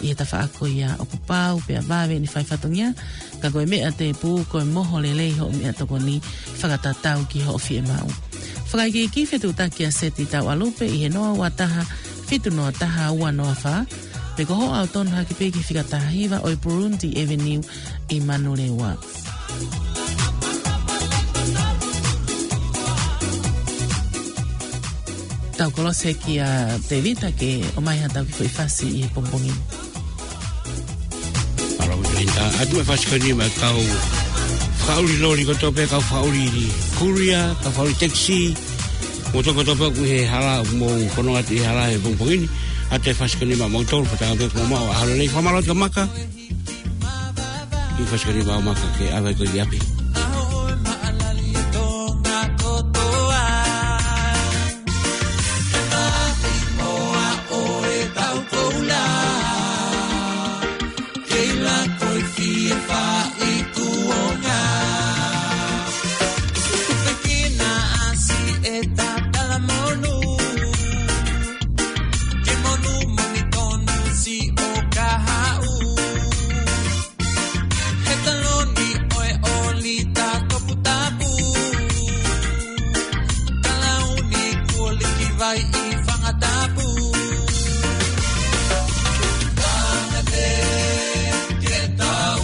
ʻi he tafaʻaki ko ia. ʻOku pau pea vave ʻene fai fatongia, ka ko e meʻa tēpū ko e moho lelei hoʻo meʻatokoni fakatatau ki hoʻo fiemaʻu. Fakaikiiki, fetuʻutaki ʻa Seti Tauʻalupe ʻi he noa ua taha, fitu noa taha, ua noa fā, pe ko hoʻo ʻalu tonu hake pē ki he fika taha hiva ʻo e Burundi Avenue ʻi Manurewa. Tau kolosi kia Tevita ke ʻomai haʻatau kiʻi foʻi fasi ʻi he pongipongi ni. Mālō Linda, ʻatu e fasi ko eni maʻa e kau fakaʻuli loli kotoa pē, kau fakaʻuli kulia, kau fakaʻuli taxi, mo e tokotaha kotoa pē ʻoku ʻi he hala, mo e fononga atu ʻi he hala he pongipongi ni, ʻatu e fasi ko eni maʻa moutolu, fakatauange pē kuo mou maʻu ʻaho lelei. Fakamālō atu kia Maka. ʻI he fasi ko eni maʻa Maka ke ʻave koe ki ʻapi. He taloni ʻo e ʻolita toputapu. Talauni kuo liki vai ʻi Fangatapu. Tangata ke tau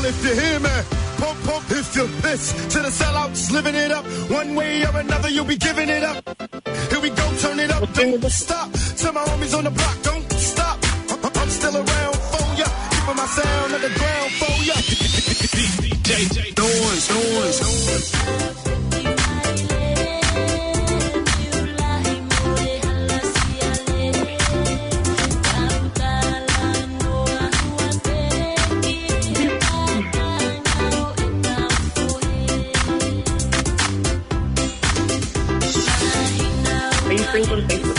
If you hear me, pump, pump, if you this to the sellouts, living it up. One way or another, you'll be giving it up. Here we go, turn it up, don't stop. To my homies on the block, don't stop. I'm, I'm still around for ya, keeping my sound on the ground for ya. D J Noise, Noise, Noise. Are you friends on Facebook?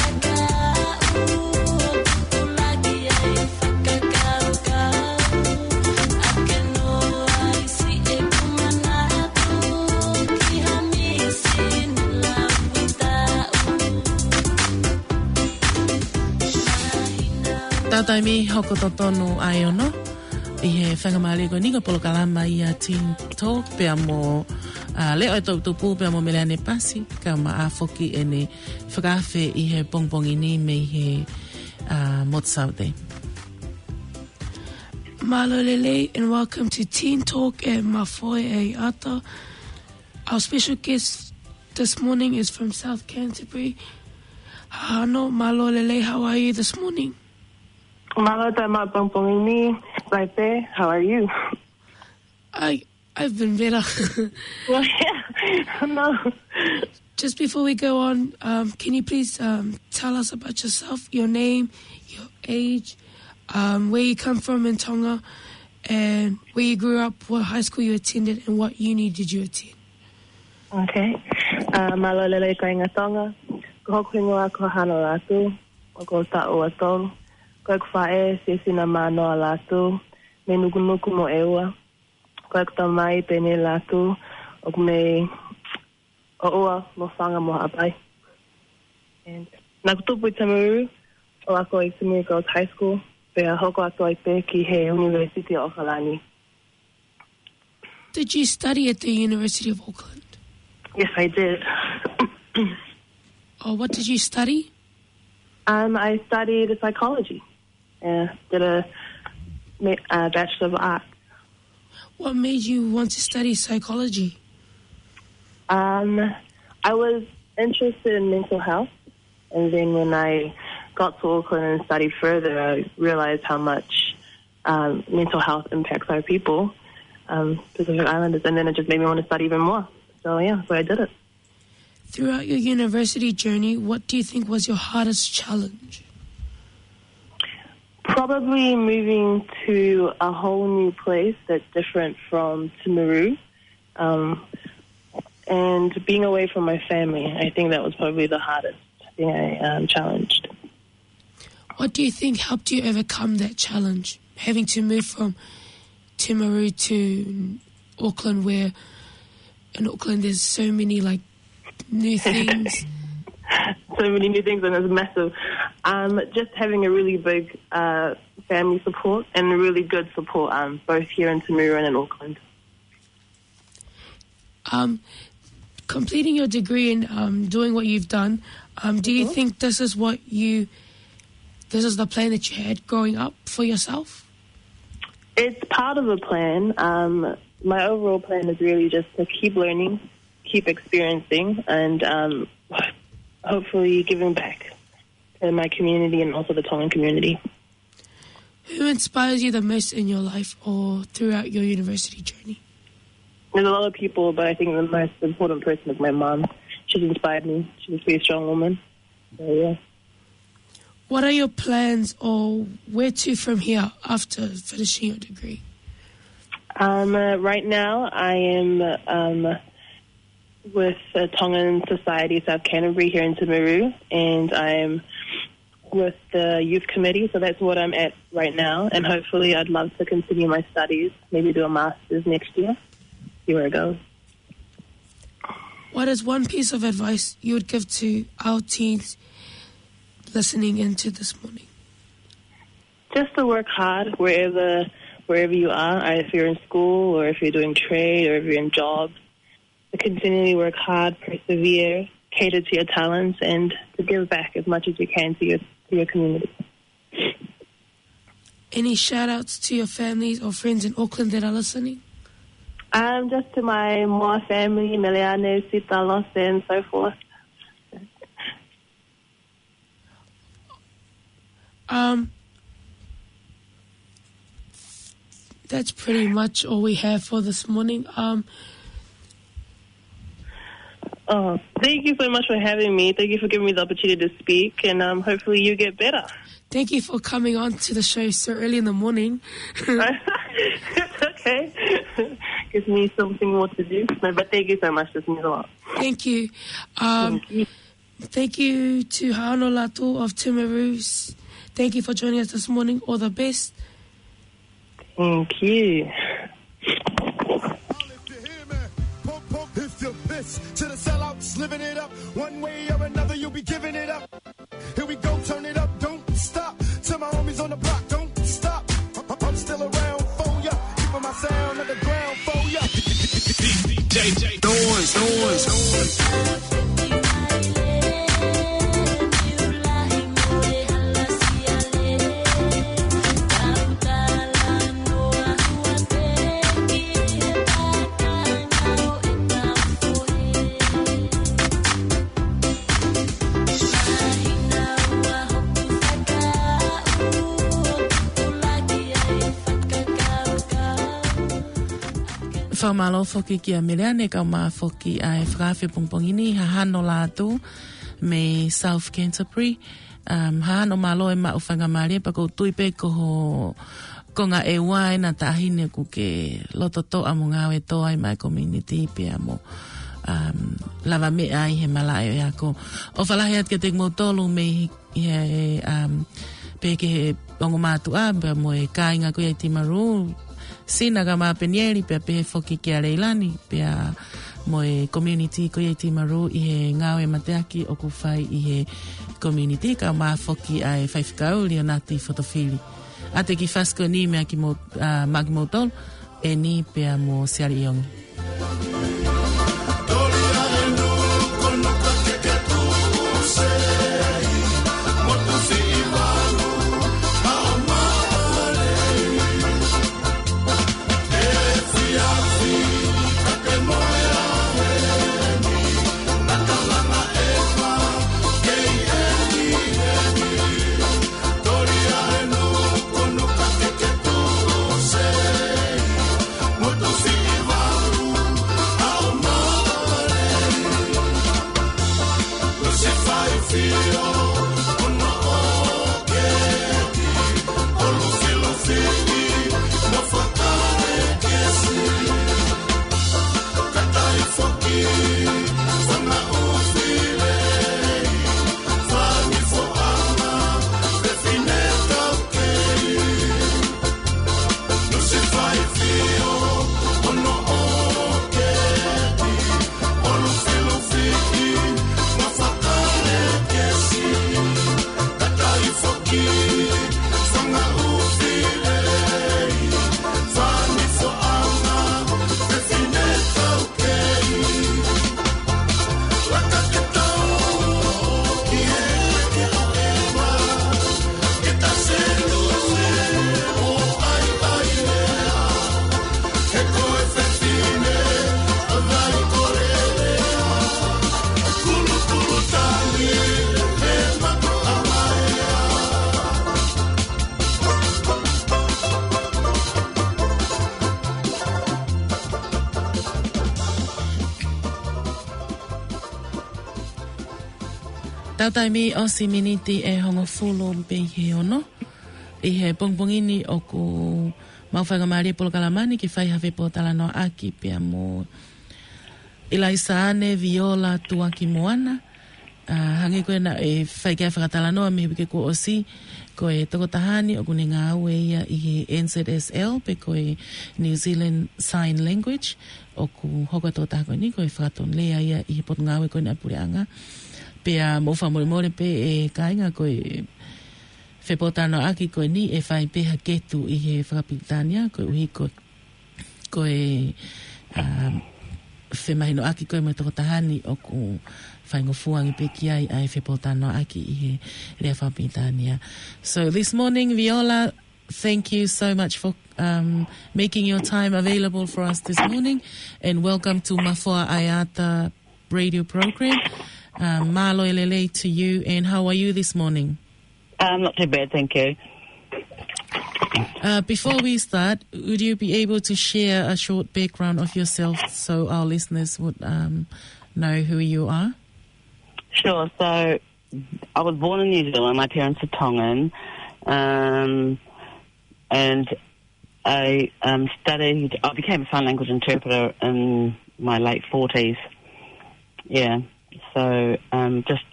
Taimi hoko totonu ai ono ʻi he faingamālie ko eni ko e polokalama ia Teen Talk pea mo, ā, Leʻo e Toputupu pea mo Meleane Pasi, kae ʻumaʻā foki ʻene fakaafe ʻi he pongipongi ni mei he, ā, Motu Saute. Mālō e lelei and welcome to Teen Talk ʻe Mafoe ʻEiata. Our special guest this morning is from South Canterbury. Hahano, mālō e lelei, how are you this morning? Mālō e taimi pongipongi ni, Laipe, how are you? I, I've been better. Well, yeah, no. Just before we go on, um, can you please, um, tell us about yourself, your name, your age, um, where you come from in Tonga, and where you grew up, what high school you attended, and what uni did you attend? Okay. Uh, mālō e lelei kāinga Tonga. Ko hoku hingoa ko Hahano Lātū, ʻoku ou taʻu ua tolu. Ko ʻeku faʻē, Siasina Mānoa Lātū, mei Nukunuku mo ʻEua. Ko ʻeku tamai, Peni Lātū, ʻoku mei ʻOʻua, Lofanga mo Haʻapai. And naʻá ku tupu ʻi Timaru, ʻo ako ʻi Timaru Girls High School, pea hoko atu ai pē ki he University of ʻAokalani. Did you study at the University of Auckland? Yes, I did. Oh, what did you study? Um, I studied psychology. Uh, did a ma-, uh, Bachelor of Arts. What made you want to study psychology? Um, I was interested in mental health, and then when I got to Auckland and studied further, I realized how much, um, mental health impacts our people, um, Pacific Islanders, and then it just made me want to study even more. So yeah, so I did it. Throughout your university journey, what do you think was your hardest challenge? Probably moving to a whole new place that's different from Timaru, um, and being away from my family. I think that was probably the hardest thing I, um, challenged. What do you think helped you overcome that challenge, having to move from Timaru to Auckland, where in Auckland there's so many, like, new things? So many new things, and it's massive. Um, just having a really big, uh, family support and really good support, um, both here in Timaru and in Auckland. Um, completing your degree and, um, doing what you've done, um, do you think this is what you, this is the plan that you had growing up for yourself? It's part of a plan. Um, my overall plan is really just to keep learning, keep experiencing, and, um, hopefully giving back to my community and also the Tongan community. Who inspires you the most in your life or throughout your university journey? There's a lot of people, but I think the most important person is my mom. She's inspired me. She's a pretty strong woman. So, yeah. What are your plans or where to from here after finishing your degree? Um, uh, right now, I am, um, with the Tongan Society South Canterbury here in Timaru, and I'm with the youth committee, so that's what I'm at right now. And hopefully, I'd love to continue my studies, maybe do a master's next year. See where it goes. What is one piece of advice you would give to our teens listening into this morning? Just to work hard wherever, wherever you are, if you're in school or if you're doing trade or if you're in jobs, to continually work hard, persevere, cater to your talents, and to give back as much as you can to your, to your community. any shout outs to your families or friends in Auckland that are listening? Um, just to my Moa family, Meleane, Sita, Losa, and so forth. Um, that's pretty much all we have for this morning. Um, Oh, thank you so much for having me. Thank you for giving me the opportunity to speak, and um, hopefully you get better. Thank you for coming on to the show so early in the morning. It's okay. Gives me something more to do. No, but thank you so much. This means a lot. Thank you. Um, Thank you. Thank you to Hano Latu of Timaru. Thank you for joining us this morning. All the best. Thank you. If you're pissed to the sellouts, living it up. One way or another, you'll be giving it up. Here we go, turn it up, don't stop. To my homies on the block, don't stop. I'm still around for ya. Keeping my sound at the ground for ya. D J Noise, noise, noise. Fakamālō foki kia Meleane, kae ʻumaʻā foki ʻa e fakaafe pongipongi ni, Hahano Lātū mei South Canterbury. Um, Hahano, mālō e maʻu faingamālie, pea ʻoku ou tui pē ko ho konga ʻEua ena taʻahine ʻoku ke loto toʻa mo ngāue toʻa ai maʻa e community pea mo, um, lavameʻa ai he malaʻe ʻo e ako. ʻOfa lahi atu kiate kimoutolu mei he, um, pehē ki he ongo mātuʻa, pea mo e kāinga ko ia ʻi Timaru, Sina kae ʻumaʻā Penieli, pea pehē foki kia Leilani, pea mo e community ko ia ʻi Timaru ʻi he ngāue mateaki ʻoku fai ʻi he community, kae ʻumaʻā foki ʻa e faifekau Lionati Fotofili. ʻA ia ko e kiʻi fasi ko eni meia kimou-, ʻa, maʻa kimoutolu, ʻEni pea mo Siali ʻIongi. Tau taimi ʻosi miniti ʻe hongofulu pē ki he ono. ʻI he pongipongi ni ʻoku mau faingamālie polokalama ni ke fai ha fepōtalanoaʻaki pea mo ʻIlaisa ʻAne Viola Tuakimoana. ʻA, hangē ko ena ʻe fai ki ai e fakatalanoa mei he uike kuo ʻosi, ko e tokotaha ni ʻoku ne ngāue ia ʻi he N Z S L pe ko e New Zealand Sign Language, ʻoku hoko e tokotaha ko eni ko e fakatonulea ia ʻi he potungāue ko eni ʻa e puleʻanga. Pea mou fakamolemole pē ʻe kāinga ko e fepōtalanoaʻaki ko eni ʻe fai pē ha ketu ʻi he fakapilitānia koeʻuhi ko, ko e, um, femahinoʻaki ko ē mo e tokotaha ni ʻoku faingofua ange pē ki ai ʻa e fepōtalanoaʻaki ʻi he lea fakapilitānia. So this morning, Viola, Thank you so much for um, making your time available for us this morning, and welcome to Mafoa ʻAeata radio program. Um, mālō e lelei to you, and how are you this morning? Um, not too bad, thank you. Uh, before we start, would you be able to share a short background of yourself so our listeners would um, know who you are? Sure. So I was born in New Zealand. My parents are Tongan, um, and I um, studied. I became a sign language interpreter in my late forties. Yeah. So um, just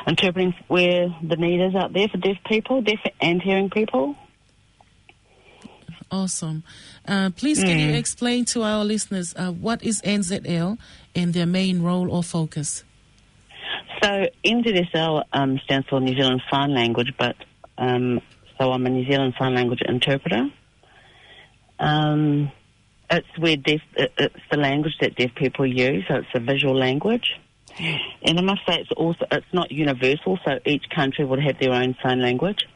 interpreting where the need is out there for deaf people, deaf and hearing people. Awesome. Uh, please, can you explain to our listeners uh, what is N Z L and their main role or focus? So N Z S L um, stands for New Zealand Sign Language, but um, so I'm a New Zealand Sign Language interpreter. Um, it's where deaf, it, it's the language that deaf people use, so it's a visual language. And I must say, it's also it's not universal, so each country would have their own sign language.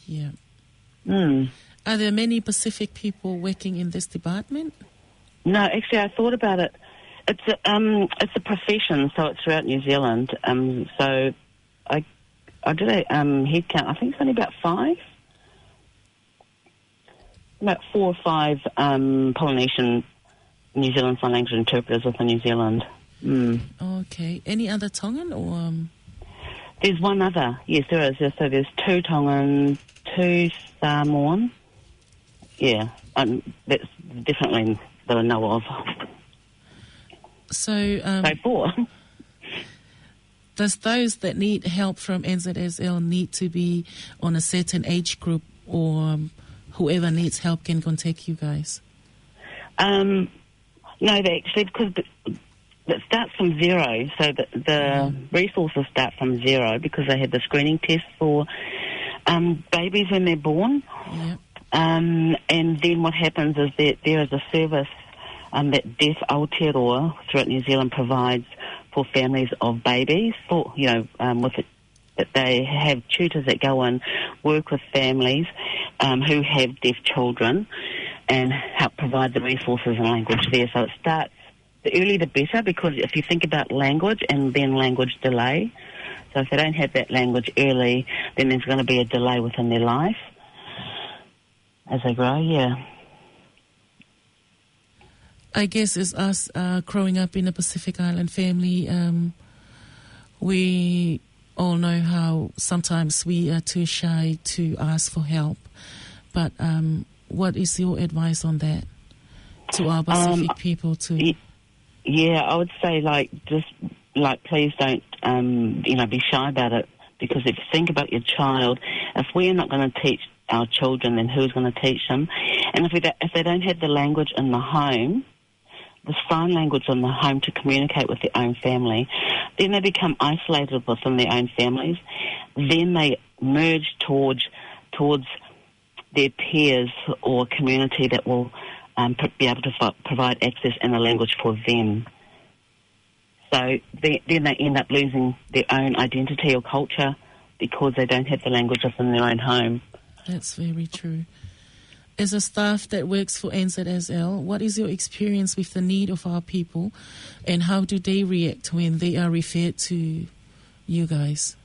Yeah. Mm. Are there many Pacific people working in this department? No, actually, I thought about it. It's a, um, it's a profession, so it's throughout New Zealand. Um, so I, I did a um, head count. I think it's only about five, about four or five um, Polynesian New Zealand Sign Language interpreters within New Zealand. Mm. Okay. Any other Tongan or? Um... There's one other. Yes, there is. So there's two Tongan, two Samoan. Yeah, um, that's definitely that I know of. So, um, so four. Does those that need help from N Z S L need to be on a certain age group, or um, whoever needs help can contact you guys? Um, no, they actually, because it starts from zero, so the, the resources start from zero because they have the screening test for um, babies when they're born. Yep. Um, and then what happens is that there is a service um, that Deaf Aotearoa throughout New Zealand provides for families of babies, for, you know, um, with it, that they have tutors that go and work with families um, who have deaf children and help provide the resources and language there. So it starts, the earlier the better, because if you think about language and then language delay, so if they don't have that language early, then there's going to be a delay within their life as they grow, yeah. I guess as us uh, growing up in a Pacific Island family, um, we all know how sometimes we are too shy to ask for help. But um, what is your advice on that to our Pacific Um, people too? y- Yeah, I would say, like, just, like, please don't, um, you know, be shy about it, because if you think about your child, if we're not going to teach our children, then who's going to teach them? And if we don't, if they don't have the language in the home, the sign language in the home to communicate with their own family, then they become isolated within their own families. Then they merge towards towards their peers or community that will um, p- be able to f- provide access and a language for them. So they, then they end up losing their own identity or culture because they don't have the language within their own home. That's very true. As a staff that works for N Z S L, what is your experience with the need of our people, and how do they react when they are referred to you guys?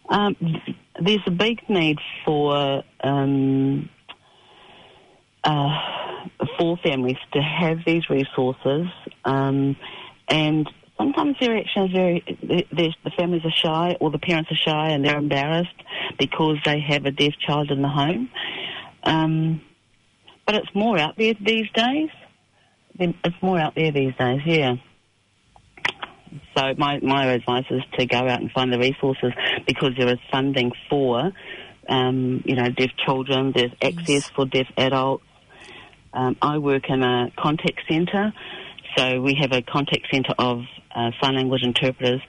Um, there's a big need for um, uh, for families to have these resources, um, and sometimes they're actually very the, the, the families are shy or the parents are shy and they're embarrassed because they have a deaf child in the home. Um, but it's more out there these days. Then It's more out there these days, yeah. So my, my advice is to go out and find the resources, because there is funding for, um, you know, deaf children, there's access for deaf adults. Um, I work in a contact centre, so we have a contact centre of uh, sign language interpreters,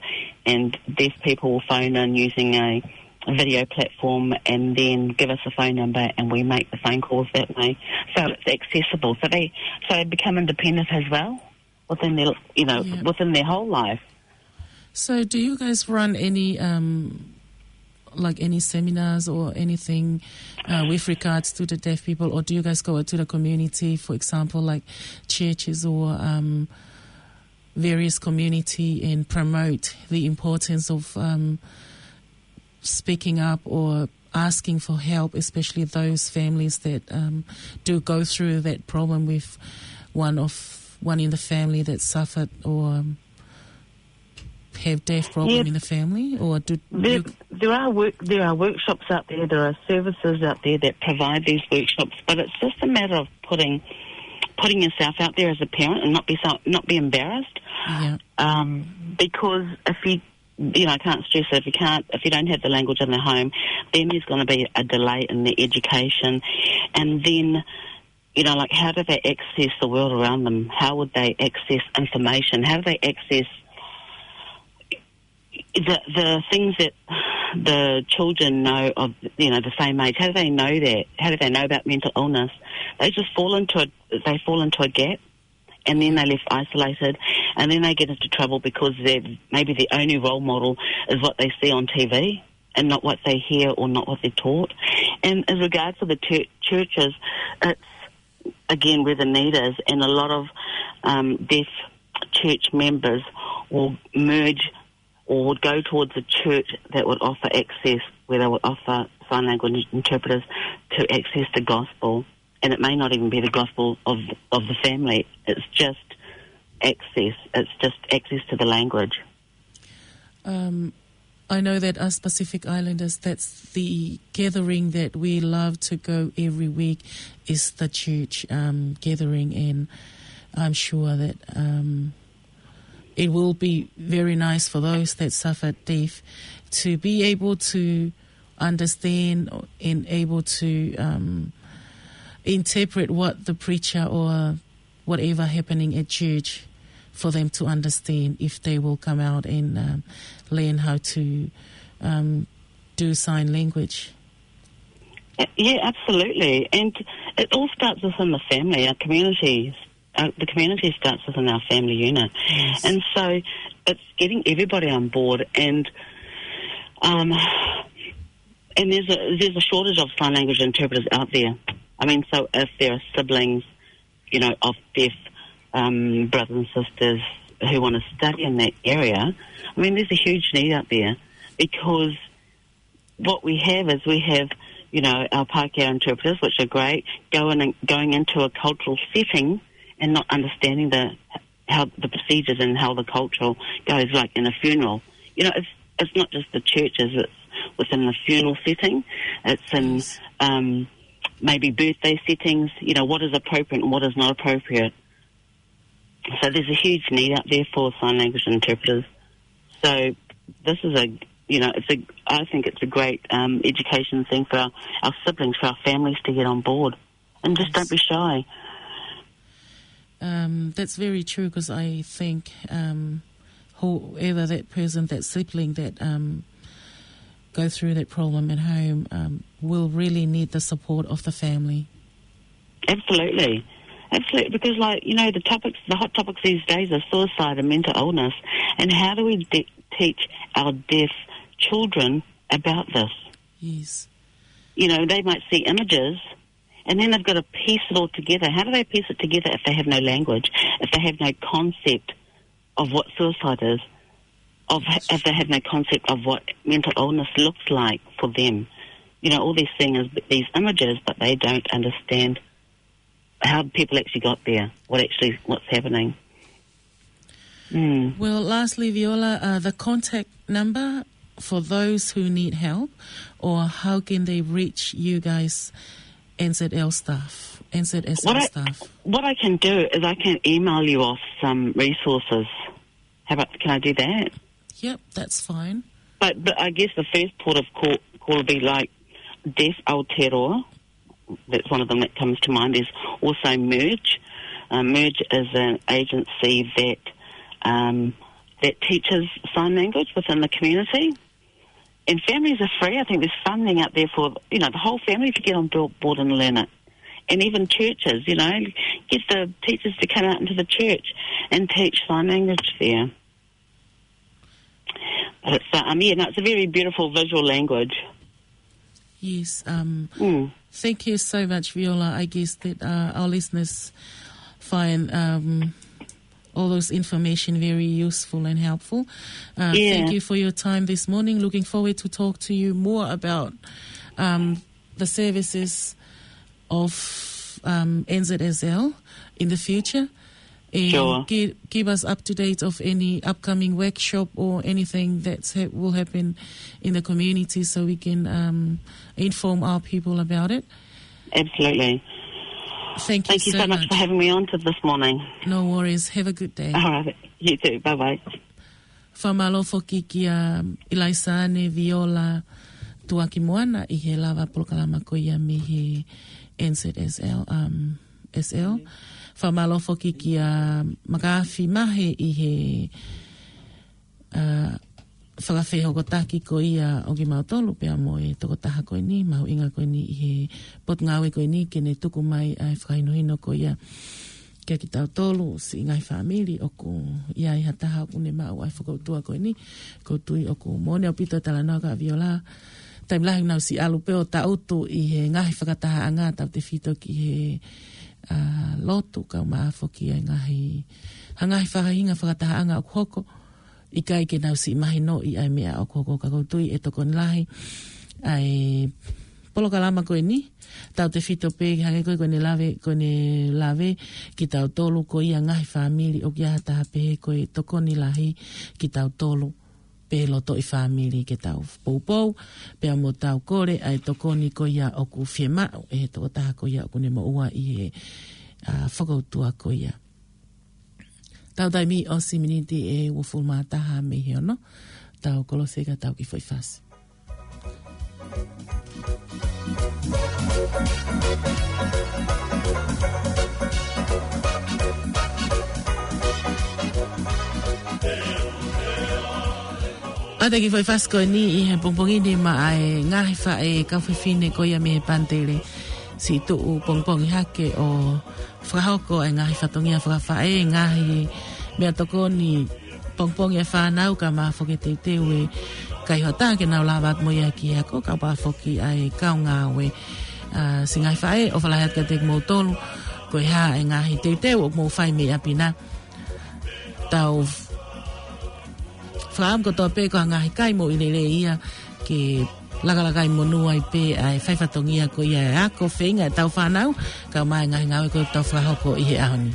and deaf people will phone in using a, a video platform and then give us a phone number, and we make the phone calls that way. So it's accessible. So they, so they become independent as well within their, you know, Yeah. within their whole life. So, do you guys run any um, like, any seminars or anything, uh, with regards to the deaf people, or do you guys go out to the community, for example, like churches or, um, various community, and promote the importance of, um, speaking up or asking for help, especially those families that, um, do go through that problem with one of, one in the family that suffered or, um, have deaf problem Yeah. in the family, or do There, you there are work, there are workshops out there, there are services out there that provide these workshops, but it's just a matter of putting, putting yourself out there as a parent and not be so, not be embarrassed. Yeah. Um, because if you, you know, I can't stress it, if you can't, if you don't have the language in the home, then there's gonna be a delay in the education. And then, you know, like, how do they access the world around them? How would they access information? How do they access the, the things that the children know of, you know, the same age? How do they know that? How do they know about mental illness? They just fall into a, they fall into a gap, and then they're left isolated, and then they get into trouble because they're, maybe the only role model is what they see on T V and not what they hear or not what they're taught. And as regards to the chur- churches, it's, again, where the need is, and a lot of, um, deaf church members will merge or would go towards a church that would offer access, where they would offer sign language interpreters to access the gospel. And it may not even be the gospel of, of the family. It's just access. It's just access to the language. Um, I know that us Pacific Islanders, that's the gathering that we love to go every week, is the church, um, gathering, and I'm sure that, um, it will be very nice for those that suffer deaf to be able to understand and able to, um, interpret what the preacher or whatever happening at church for them to understand if they will come out and, um, learn how to, um, do sign language. Uh, yeah, absolutely. And it all starts within the family, our community. Uh, the community starts within our family unit. Yes. And so it's getting everybody on board, and, um, and there's a, there's a shortage of sign language interpreters out there. I mean, so if there are siblings, you know, of deaf, um, brothers and sisters who wanna study in that area, I mean, there's a huge need out there, because what we have is we have, you know, our Pākehā interpreters, which are great, going and going into a cultural setting and not understanding the, how the procedures and how the culture goes, like in a funeral. You know, it's, it's not just the churches, it's within the funeral setting, it's in, Yes. um, maybe birthday settings, you know, what is appropriate and what is not appropriate. So there's a huge need out there for sign language interpreters. So this is a, you know, it's a, I think it's a great, um, education thing for our, our siblings, for our families to get on board. And just don't Yes. be shy. Um, that's very true, 'cause I think, um, whoever that person, that sibling that, um, go through that problem at home, um, will really need the support of the family. Absolutely. Absolutely. Because, like, you know, the topics, the hot topics these days are suicide and mental illness. And how do we de- teach our deaf children about this? Yes. You know, they might see images and then they've got to piece it all together. How do they piece it together if they have no language, if they have no concept of what suicide is, of, if they have no concept of what mental illness looks like for them? You know, all these things, these images, but they don't understand how people actually got there, what actually, what's happening. Mm. Well, lastly, Viola, uh, the contact number for those who need help, or how can they reach you guys, N Z L staff, N Z S L What I, staff? What I can do is I can email you off some resources. How about, can I do that? Yep, that's fine. But, but I guess the first port of call, call would be, like, Deaf Aotearoa. That's one of them that comes to mind. There's also Merge. Uh, Merge is an agency that, um, that teaches sign language within the community. And families are free. I think there's funding out there for, you know, the whole family to get on board and learn it. And even churches, you know, get the teachers to come out into the church and teach sign language there. Sāʻami, and it's a very beautiful visual language. Yes, um, Mm. thank you so much, Viola. I guess that, uh, our listeners find, um, all those information very useful and helpful. Uh, Yeah. Thank you for your time this morning. Looking forward to talk to you more about, um, the services of, um, N Z S L in the future. And Sure. gi-, give us up to date of any upcoming workshop or anything that's ha-, will happen in the community so we can, um, inform our people about it. Absolutely. Thank you Thank you so so much much. for having me on to this morning. No worries. Have a good day. All right. You too. Bye-bye. Fakamālō foki kia Ilaisaane Viola Tuakimoana ʻi he lava polokalama ko ia mei he N Z S L, um, S L. Fakamālō foki kia Makaafi Mahe ʻi he, uh, fakafehokotaki ko ia ʻo kimautolu pea mo e tokotaha ko eni, mahuʻinga ko eni ʻi he potungāue ko eni ke ne tuku mai ʻa e fakahinohino ko ia kia kitautolu siʻi ngaahi fāmili ʻoku ʻi ai ha taha ʻoku ne maʻu ʻa e fokoutua ko eni. ʻOku ou tui ʻoku moʻoni ʻaupito e talanoa ka Viola. Taimi lahi naʻa ku siʻi ʻalu pē ʻo tangutu ʻi he ngaahi fakatahaʻanga tautefito ki he, ʻa, lotu kae ʻumaʻā foki ʻa e ngaahi, ha ngaahi faʻahinga fakatahaʻanga ʻoku hoko. ʻIkai ke nau siʻi mahinoʻi ʻa e meʻa ʻoku hoko ka ʻoku ou tui ʻe tokoni lahi ʻa e polokalama ko eni. Tautefito pē hangē ko e, ko ʻene lave, ko ʻene lave kitautolu ko ia ngaahi fāmili ʻoku ʻi ai ha taha pehē ko e tokoni lahi kitautolu pē lotoʻi fāmili ke tau poupou, pea mo tau kole ʻa e tokoni ko ia ʻoku fiemaʻu ʻe he tokotaha ko ia ʻoku ne moʻua ʻi he, ʻa, fokoutua ko ia. Tau taimi ʻosi miniti ʻe uofulu mā taha mei he ono. Tau kolose ka tau kiʻi foʻi fasi. ʻA ia te u kiʻi foʻi fasi ko eni ʻi he pongipongi ni maʻa e ngaahi faʻē kau fefine ko ia mei he Panitele. Siʻi tuʻu pongipongi hake ʻo fakahoko e ngaahi fatongia fakafaʻē, ngaahi meʻatokoni pongipongi e fānau kae ʻumaʻā foki e teuteu e kaihaʻa ke nau lava atu mo ia ki he ako kae ʻumaʻā foki ʻa e kau ngāue. ʻA, siʻi ngaahi faʻē, ʻofa lahi atu kiate kimoutolu, ko e hā e ngaahi teuteu ʻoku mou fai mei ʻapi na. Tau fakaʻamu kotoa pē ko ha ngaahi kai moʻui lelei ia ke lakalaka ʻi monū ai pē ʻa e fai fatongia ko ia e ako feinga ʻetau fānau, kae ʻumaʻā e ngaahi ngāue ko ē ʻoku tau fakahoko ʻi he ʻaho ni.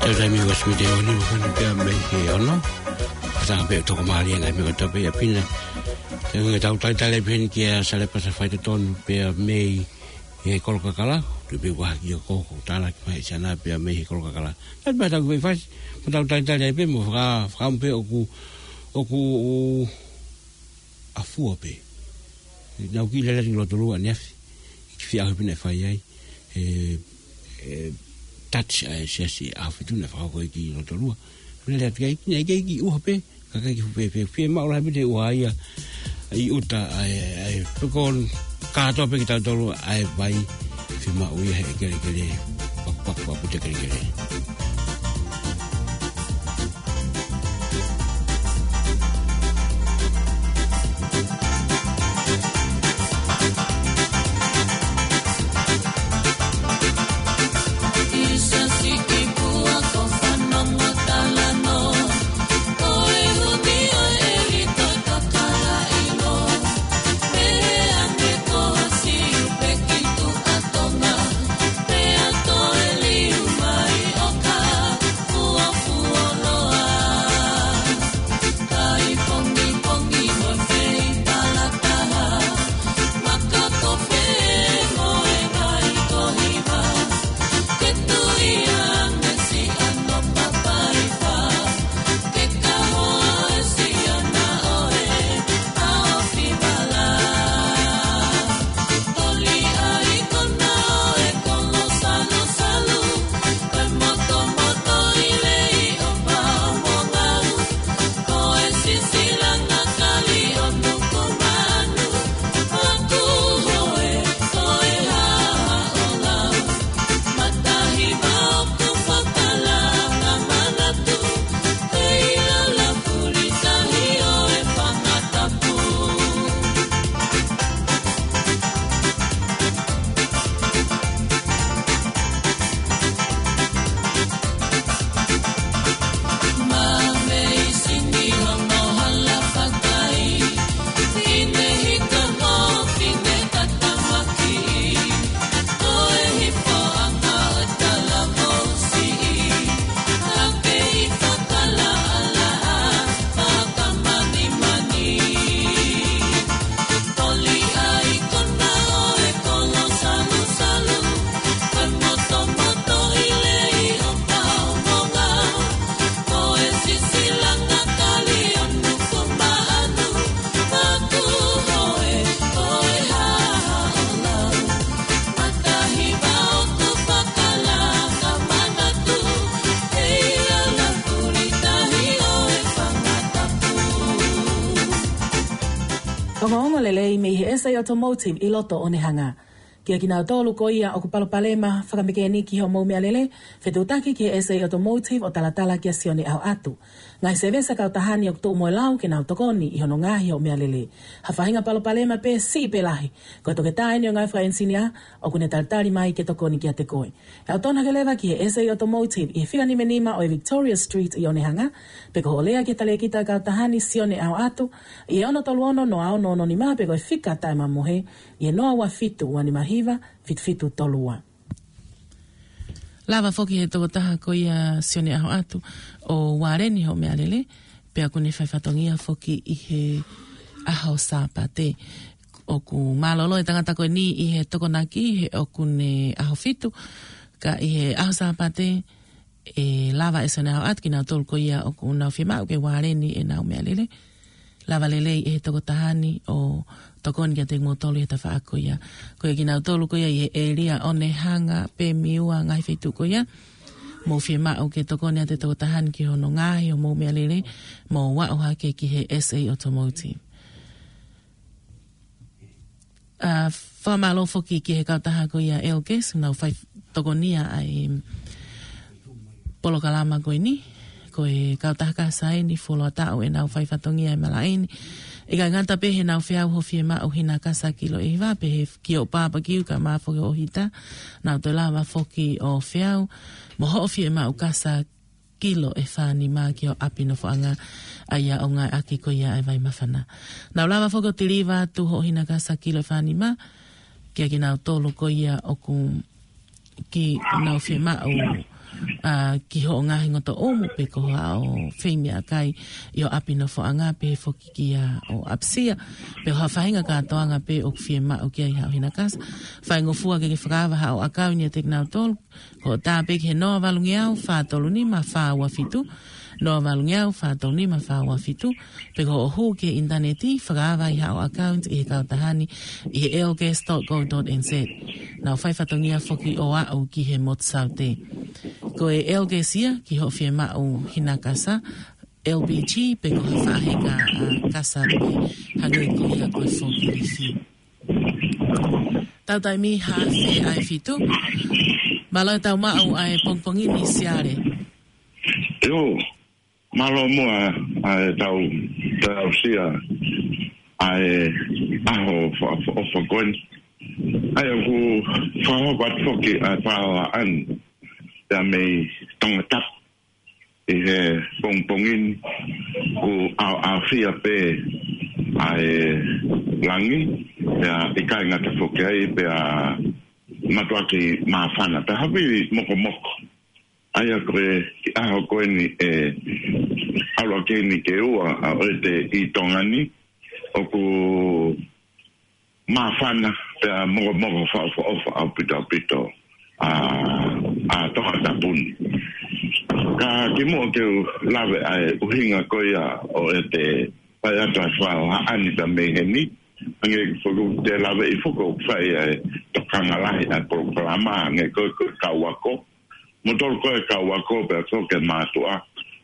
Tau taimi ʻosi miniti ʻe nima hifo pea mei he ono. Ka tau pē toko mālie ngaahi meʻa kotoa pē ʻi ʻapi na. Te u hanga ʻo talitali pē heni kia Sale Pasa Faitotonu pea mei he kolo kakala, tu pe ua ki o ko, ko tala ki mai siana pea mei he kolo kakala. Tali mai tau ki fai fasi, mo tau talitali ai pē, mo faka-, fakamu pē ʻoku, ʻoku, ʻa fua pē. Nau ki lele ni loto lua ni afi. Ki fia ahu pina e fai ai. E, e, touch ai siasi ahu fitu na fakako ki loto lua. Lele atu kai, ki nei kai ki uha pē. Ka kai ki fupe pē. Fie maʻu lahi pē te ua ia. I uta ai, ai. Pekon kātoa pē ki tau tolu ai vai. Fie maʻu ia he kelekele. Pak, pak, pak, te kelekele. Ongoongo lelei mei he S A Automotive ʻi loto ʻo Onehunga. Kia kinautolu ko ia ʻoku palopalema fakamekeniki hoʻomou meʻalele, fetuʻutaki ki he S A Automotive ʻo talatala kia Sione ʻAhoʻatu. Ngaahi sēvesi kautaha ni ʻoku tuʻu mo e lau ke nau tokoni ʻi hono ngaohi hoʻo meʻalele. Ha faʻahinga palopalema pē siʻi pe lahi, ko e toketā eni ʻo e ngaahi fakaʻenisinia ʻoku ne talitali mai ke tokoni kiate koe. ʻE ʻautonu hake leva ki he S A Automotive ʻi he fika nima nima ʻo e Victoria Street ʻi Onehunga, pe ko hoʻo lea ki he talēkita kautaha ni Sione ʻAhoʻatu ʻi he ono tolu ono noa ono ono nima pe ko e fika taʻemamohe ʻi he noa ua fitu ua nima hiva fitu fitu tolu ua. Lava foki he tokotaha ko ia Sione ʻAhoʻatu ʻo ualeni hoʻo meʻalele, pea ʻoku ne fai fatongia foki ʻi he ʻaho Sāpate. ʻOku mālōlō e tangata ko eni ʻi he tokonaki he ʻoku ne ʻaho fitu, ka ʻi he ʻaho Sāpate ʻe lava ʻe Sione ʻAhoʻatu kinautolu ko ia ʻoku nau fiemaʻu ke ualeni ʻenau meʻalele. Lava lelei ʻe he tokotaha ni ʻo tokoni kiate kimoutolu ʻi he tafaʻaki ko ia. Ko ia kinautolu ko ia ʻi he ʻēlia Onehunga, Pemiua, ngaahi feituʻu ko ia, mou fiemaʻu ke tokoni atu e tokotaha ni ki hono ngaohi hoʻomou meʻalele, mou aʻu hake ki he S A Automotive. ʻA, fakamālō foki ki he kautaha ko ia Elkes, nau fai tokonia ʻa e polokalama ko eni, ko e kautaha kasa eni fuoloa taʻu ʻenau fai fatongia e malaʻe ni. ʻIkai ngata pē heʻenau feau hoʻo fiemaʻu hina kasa kilo ʻe hiva, pe he kiʻi barbecue ka mafoki hoʻo hita, nau toe lava foki ʻo feau mo hoʻo fiemaʻu kasa kilo ʻe fā nima ki ho ʻapi nofoʻanga, ʻa ia ʻoku ngāueʻaki ko ia ʻa e vai māfana. Nau lava foki ʻo tiliva atu hoʻo hina kasa kilo ʻe fā nima kia kinautolu ko ia ʻoku nau fiemaʻu ʻa, ki hoʻo ngaahi ngotoʻumu pe ko haʻo feimeʻakai ʻi ho ʻapi nofoʻanga pehē foki ki haʻo ʻapisia. Pe ko ha faʻahinga kātoanga pē ʻoku fiemaʻu ki ai haʻo hinakasa. Faingofua ke ke fakaava haʻo ʻakauni ʻiate kinautolu. Ko hoʻo tā pē ki he noa valungeau fā tolu nima fā ua fitu, noa valungeau fā tolu nima fā ua fitu, pe ko hoʻo hū ki he ʻinitaneti, fakaava ai haʻo ʻakauni ʻi he kautaha ni ʻi he L G S dot co dot N Z. Nau fai fatongia foki ʻo aʻu ki he motu saute. Ko e L G S ia ki hoʻo fiemaʻu hinakasa, L P G pe ko ha faʻahinga, ʻa, kasa pē hangē ko ia ko e forklift. Tau taimi haafe ʻa e fitu. Mālō e tau maʻu ʻa e pongipongi ni Siale. ʻIo, mālō muʻa ʻa e tau, tau sia ʻa e ʻaho fa-, fa-, ʻofa ko eni. ʻA ia ʻoku fakahoko atu foki ʻa e fakaʻapaʻapa pea mei Tongatapu ʻi he pongipongi ni, ʻoku ʻaoʻaofia pē ʻa e langi, pea ʻikai ngata foki ai, pea mātuʻaki māfana, pea havili mokomoko. ʻA ia ko e kiʻi ʻaho ko eni ʻe ʻalu ʻaki eni ke ua ʻa ʻete ʻi Tonga ni, ʻoku māfana pea mokomoko fakaʻofoʻofa ʻaupito ʻaupito ʻa, ʻa Tongatapu ni. Ka kimuʻa ke u lave ʻa e ʻuhinga ko ia ʻo ʻete fai atu ʻa e fakaʻapaʻapa pea mei heni, hangē ko ʻeku lave ʻi fuko fai ʻa e tokanga lahi ʻa e polokalama, hangē ko e, ko e kau ako, mo tolu ko e kau ako pea ko e mātuʻa.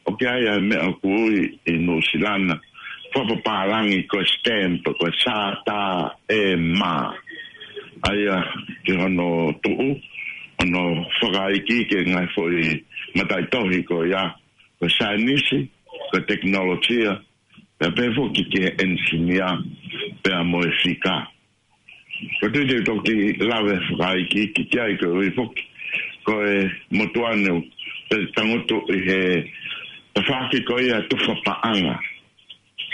ʻOku ʻi ai ʻa e meʻa ʻoku ui ʻi Nuʻusila ni, fakapapālangi ko e stamp, ko e sātā e mā. ʻA ia ki hono tuʻu, hono fakaikiiki e ngaahi foʻi mataʻitohi ko ia, ko e saienisi, ko e tekinolosia, pea pehē foki ki he enisinia, pea mo e fika. Ko e tui te u toki lave fakaikiiki ki ai koeʻuhi foki ko e motuʻa ni ʻoku tangutu ʻi he tafaʻaki ko ia tufa paʻanga.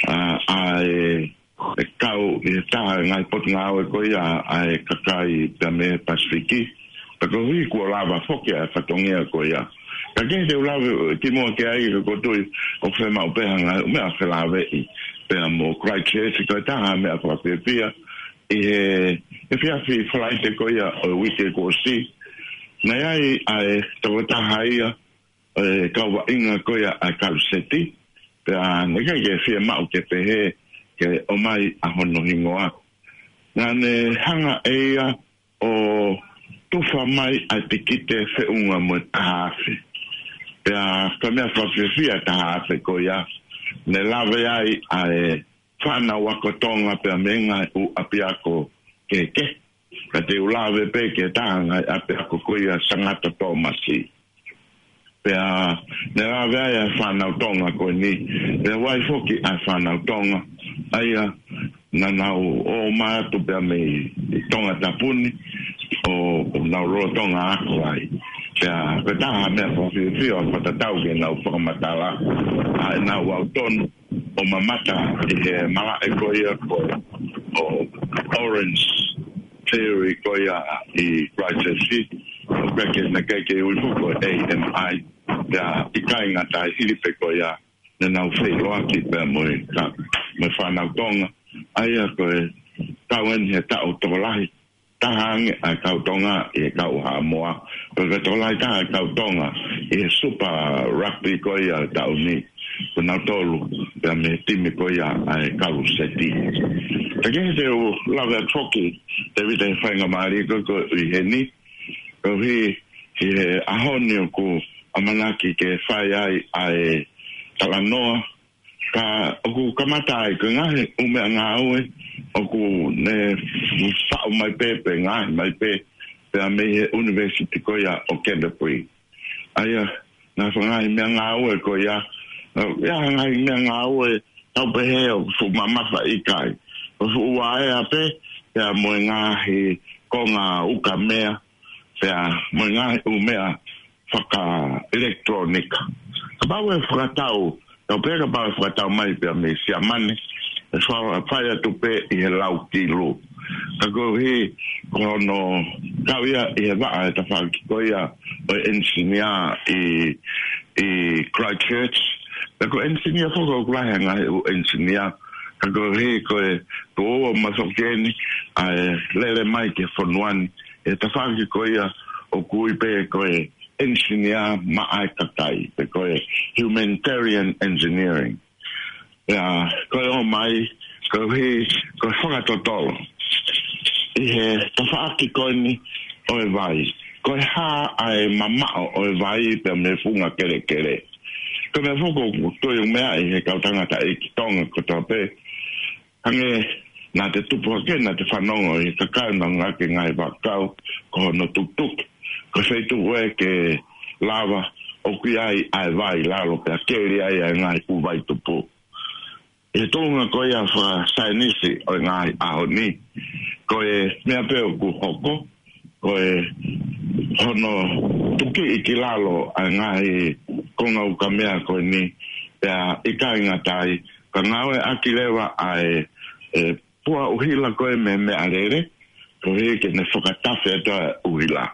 ʻA, ʻa e, e kau ʻi he taha e ngaahi potungāue ko ia ʻa e kakai pea mei he Pasifiki. Pea koeʻuhi kuo lava foki ʻa e fatongia ko ia. Ka ke te u lave kimuʻa ki ai ka ʻoku ou tui ʻoku fiemaʻu pē ha ngaahi meʻa felāveʻi pea mo Christchurch, ko e taha meʻa fakafiefia ʻi he, he efiafi Falaite ko ia ʻo e uike kuo ʻosi. Naʻe ʻi ai ʻa e tokotaha ia ʻo e kau vaʻinga ko ia ʻa e Kaluseti, pea naʻe ʻikai ke fiemaʻu ke pehē ke ʻomai ʻa hono hingoa. Naʻa ne hanga ʻe ia ʻo tufa mai ʻa e tikite feʻunga mo e taha afe. Pea ko e meʻa fakafiefia taha afe ko ia, ne lave ai ʻa e fānau ako Tonga pea mei he ngaahi ʻū ʻapiako kehekehe. Ka te u lave pē ki he taha e ngaahi ʻapiako ko ia Sangata Tōmasi. Pea ne lave ai ʻa e fānau Tonga ko eni, pea ʻoku ʻi ai foki ʻa e fānau Tonga ʻa ia naʻa nau ō mai atu pea mei Tongatapu ni ʻo, ʻo nau lolotonga ako ai. Pea ko e taha meʻa fakafiefia ʻo fakatatau ke nau fakamatala ʻa ʻenau ʻautonu ʻo mamata ʻi he malaʻe ko ia ko, ʻo Orange Theory ko ia ʻi Christchurch, ʻo peke na keke ui fuko A M I, pea ʻikai ngata ai, hili pē ko ia naʻa nau feʻiloaki pea mo e ka, mo e fānau Tonga, ʻa ia ko e kau eni he taʻu tokolahi taha ange ʻa e kau Tonga ʻi he kau Haʻamoa. Pea ko e tokolahi taha e kau Tonga ʻi he Super Rugby ko ia taʻu ni, ko nautolu pea mei he timi ko ia ʻa e Kaluseti. Ka ke te u lave atu foki, Tēvita, he faingamālie ko ē ʻoku ʻi heni, koeʻuhi ʻi he ʻaho ni ʻoku ʻamanaki ke fai ai ʻa e talanoa, ka ʻoku kamata ai ko e ngaahi ʻū meʻangāue ʻoku ne faʻu mai pē, pe ngaohi mai pē, pea mei he ʻunivēsiti ko ia ʻo Canterbury. ʻA ia, naʻe fai ngaahi meʻangāue ko ia, ʻa ia ngaahi meʻangāue tau pehē ʻoku fuʻu mamafa, ʻikai. ʻOku fuʻu vaea pē, pea mo e ngaahi konga ukamea, pea mo e ngaahi ʻū meʻa fakaʻelekitulōnika. Kapau ʻe fakatau, tau pehē kapau ʻe fakatau mai pea mei Siamane, ʻe fa-, fai atu pē ʻi he lau kilu. Ka koeʻuhi ko hono kau ia ʻi he vaʻa e tafaʻaki ko ia ʻo e engineer ʻi, ʻi Christchurch. Pea ko e engineer foki ʻoku lahi e ngaahi ʻū engineer. Ka koeʻuhi ko e tuʻo ua mai foki eni ʻa e lele mai ki he fonua ni, ʻi he tafaʻaki ko ia ʻoku ui pē ko e engineer maʻa e kakai, pe ko e humanitarian engineering. Pea ko e ō mai, koeʻuhi, ko e fakatotolo ʻi he tafaʻaki ko eni ʻo e vai. Ko e hā ʻa e mamaʻo ʻo e vai pea mei he funga kelekele. Ko e meʻa foki ʻoku ou tui ʻoku meaʻi ʻe he kau tangataʻeiki Tonga kotoa pē. Hangē naʻa te tupu hake, naʻa te fanongo ʻi he kakai naʻa ngāueʻaki e ngaahi vaʻakau ko hono tutuki. Ko e feituʻu ē ke lava ʻoku ʻi ai ʻa e vai ʻi lalo pea keli ai ʻa e ngaahi ʻū vai tupu. ʻI he tuʻunga ko ia fakasaienisi ʻo e ngaahi ʻaho ni, ko e meʻa pē ʻoku hoko, ko e hono tukiʻi ki lalo ʻa e ngaahi konga ukamea ko eni, pea ʻikai ngata ai, ka ngāueʻaki leva ʻa e, e pua ʻuhila ko e meʻa meʻalele, koeʻuhi ke ne fakatafe atu ʻa e ʻuhila.